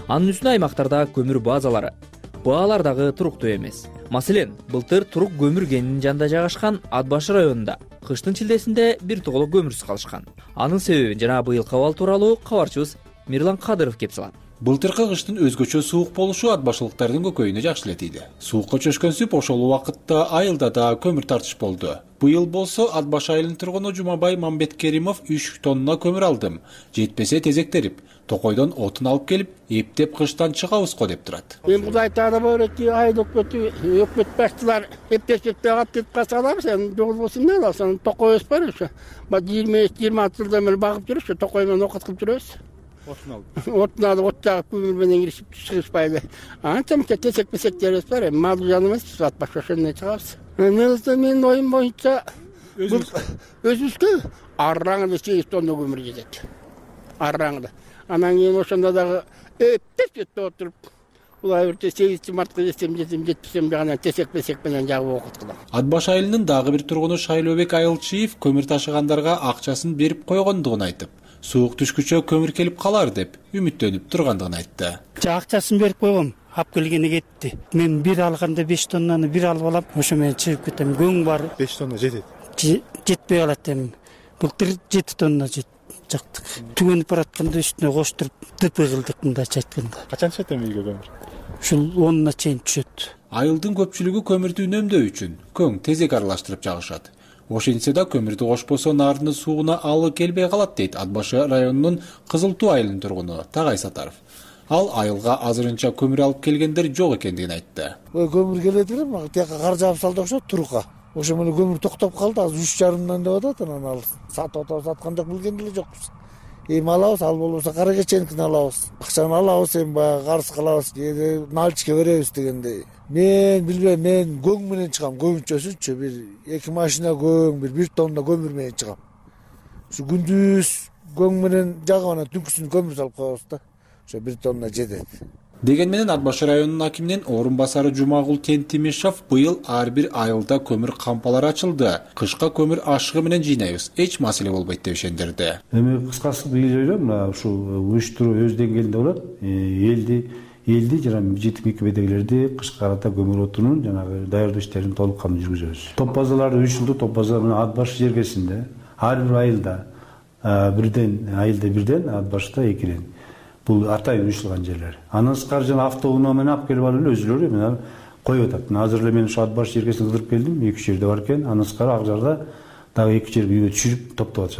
S16: Анын үстүнө аймактарда көмүр базалары, баалар дагы туруктуу эмес. Маселен, былтыр Турук көмүр кенинин жанында жайгашкан Ат башы районунда кыштын чилдесинде бир тоголок көмүрсүз калышкан. Анын себебин жана быйылкы абал тууралуу кабарчыбыз Мирлан Кадыров кеп салат.
S17: Былтыркы кыштын өзгөчө суук болушу ат башылыктардын көкөйүнө жакшы эле тийди. Суукка чөшкөн сүп ошол убакытта айылда да көмүр тартыш болду. Быйыл болсо Ат баш айылынын тургуну Жумабай Мамбеткеримов 3 тонна көмүр алдым. Жетпесе тезектерип, токойдон отун алып келип, эптеп кыштан чыгабыз го деп турат.
S18: Мен Кудай таала бөөрөтү айыл өкмөт башчылар эптеп алып кетип калса алабыз. Жол болсун эле алсын. Токойбуз бар ошо. 20-26 жылдан бери багып жүрүп, ошо токой менен окут кылып жүрөбүз. Отун алып, от жагып, көмүр менен киришип чыгышпайлы. Анча мынча тесек-месектерибиз бар. Мал жаныбыз Ат баш ошондой чыгабыз. Менин оюм боюнча өзүбүзгө арраңда 8 тонна көмүр жетет. Арраңда. Анан кийин ошондо дагы эптеп отуруп, улай бирде 8 мартка жетсем жагана тесек-месек менен жагып окут кылам.
S17: Ат баш айылынын дагы бир тургуну Шайлообек Айылчиев көмүр ташыгандарга акчасын берип койгондугун айтып, суук түшкүчө көмүр келип калар деп үмүттөнүп тургандыгын айтты.
S18: Акчасын берип койгом. Ап келгени кетти. Мен бир алганда 5 тоннаны бир алып алам. Ошо менен чыгып кетем. Көң бар.
S14: 5 тонна жетет.
S18: Жетпей калат эми. Былтыр 7 тонна жактык. Түгөнүп баратканда үстүнө коштуруп ДП кылдык мындайча айтканда.
S14: Качан түшөт эми үйгө көмүр?
S18: Ушул 10-на чейин түшөт.
S17: Айылдын көпчүлүгү көмүрдү үнөмдөө үчүн көң тезек аралаштырып жагышат. Ошентсе да көмүрдү кошпосо наарынын сууна алы келбей калат дейт Ат баш районунун Кызыл Туу айылынын тургуну Тагай Сатаров. Ал айылга азырынча көмүр алып келгендер жок экендигин айтты.
S14: Көмүр келет эле, мага тияка кар жаап салды окшойт турукка. Ошо менен көмүр токтоп калды, азыр 3,5 деп атат, анан ал сатып атабыз, аткан жок, билген деле жокпуз. Эми алабыз, ал болбосо кара кеченикин алабыз. Акчаны алабыз, эми баягы карыз кылабыз, кээде наличке беребиз дегендей. Мен билбейм, мен көң менен чыгам, көбүнчөсүнчү бир 2 машина көң, бир 1 тонна көмүр менен чыгам. Ушу күндүз көң менен жагып анан түнкүсүн көмүр салып коебуз да. Ошо 1 тонна жетет.
S17: Деген менен Ат баш районунун акиминин орун басары Жумагул Тентимишев быйыл ар бир айылда көмүр кампалары ачылды. Кышка көмүр ашыгы менен жыйнайбыз, эч маселе болбойт деп ишендирди.
S19: Эми кыскасы быйыл эле мына ушул уюштуруу өз деңгээлинде болот. Элди жана жетим кебедегилерди кышка карата көмүр отунун жанагы даярдоо иштерин толук кандуу жүргүзөбүз. Топ базаларды 3 жылдык топ база менен Ат баш жергесинде ар бир айылда бирден Ат башта экиден. Бул атайын уюштурулган жерлер. Андан сырткары жана автоунаа менен алып келип алып эле өзүлөрү мына коюп атат. Азыр эле мен ушу Ат баш жергесине кыдырып келдим, 2 жерде бар экен. Андан сырткары ак жарда дагы 2 жерге үйгө түшүрүп топтоп атышат.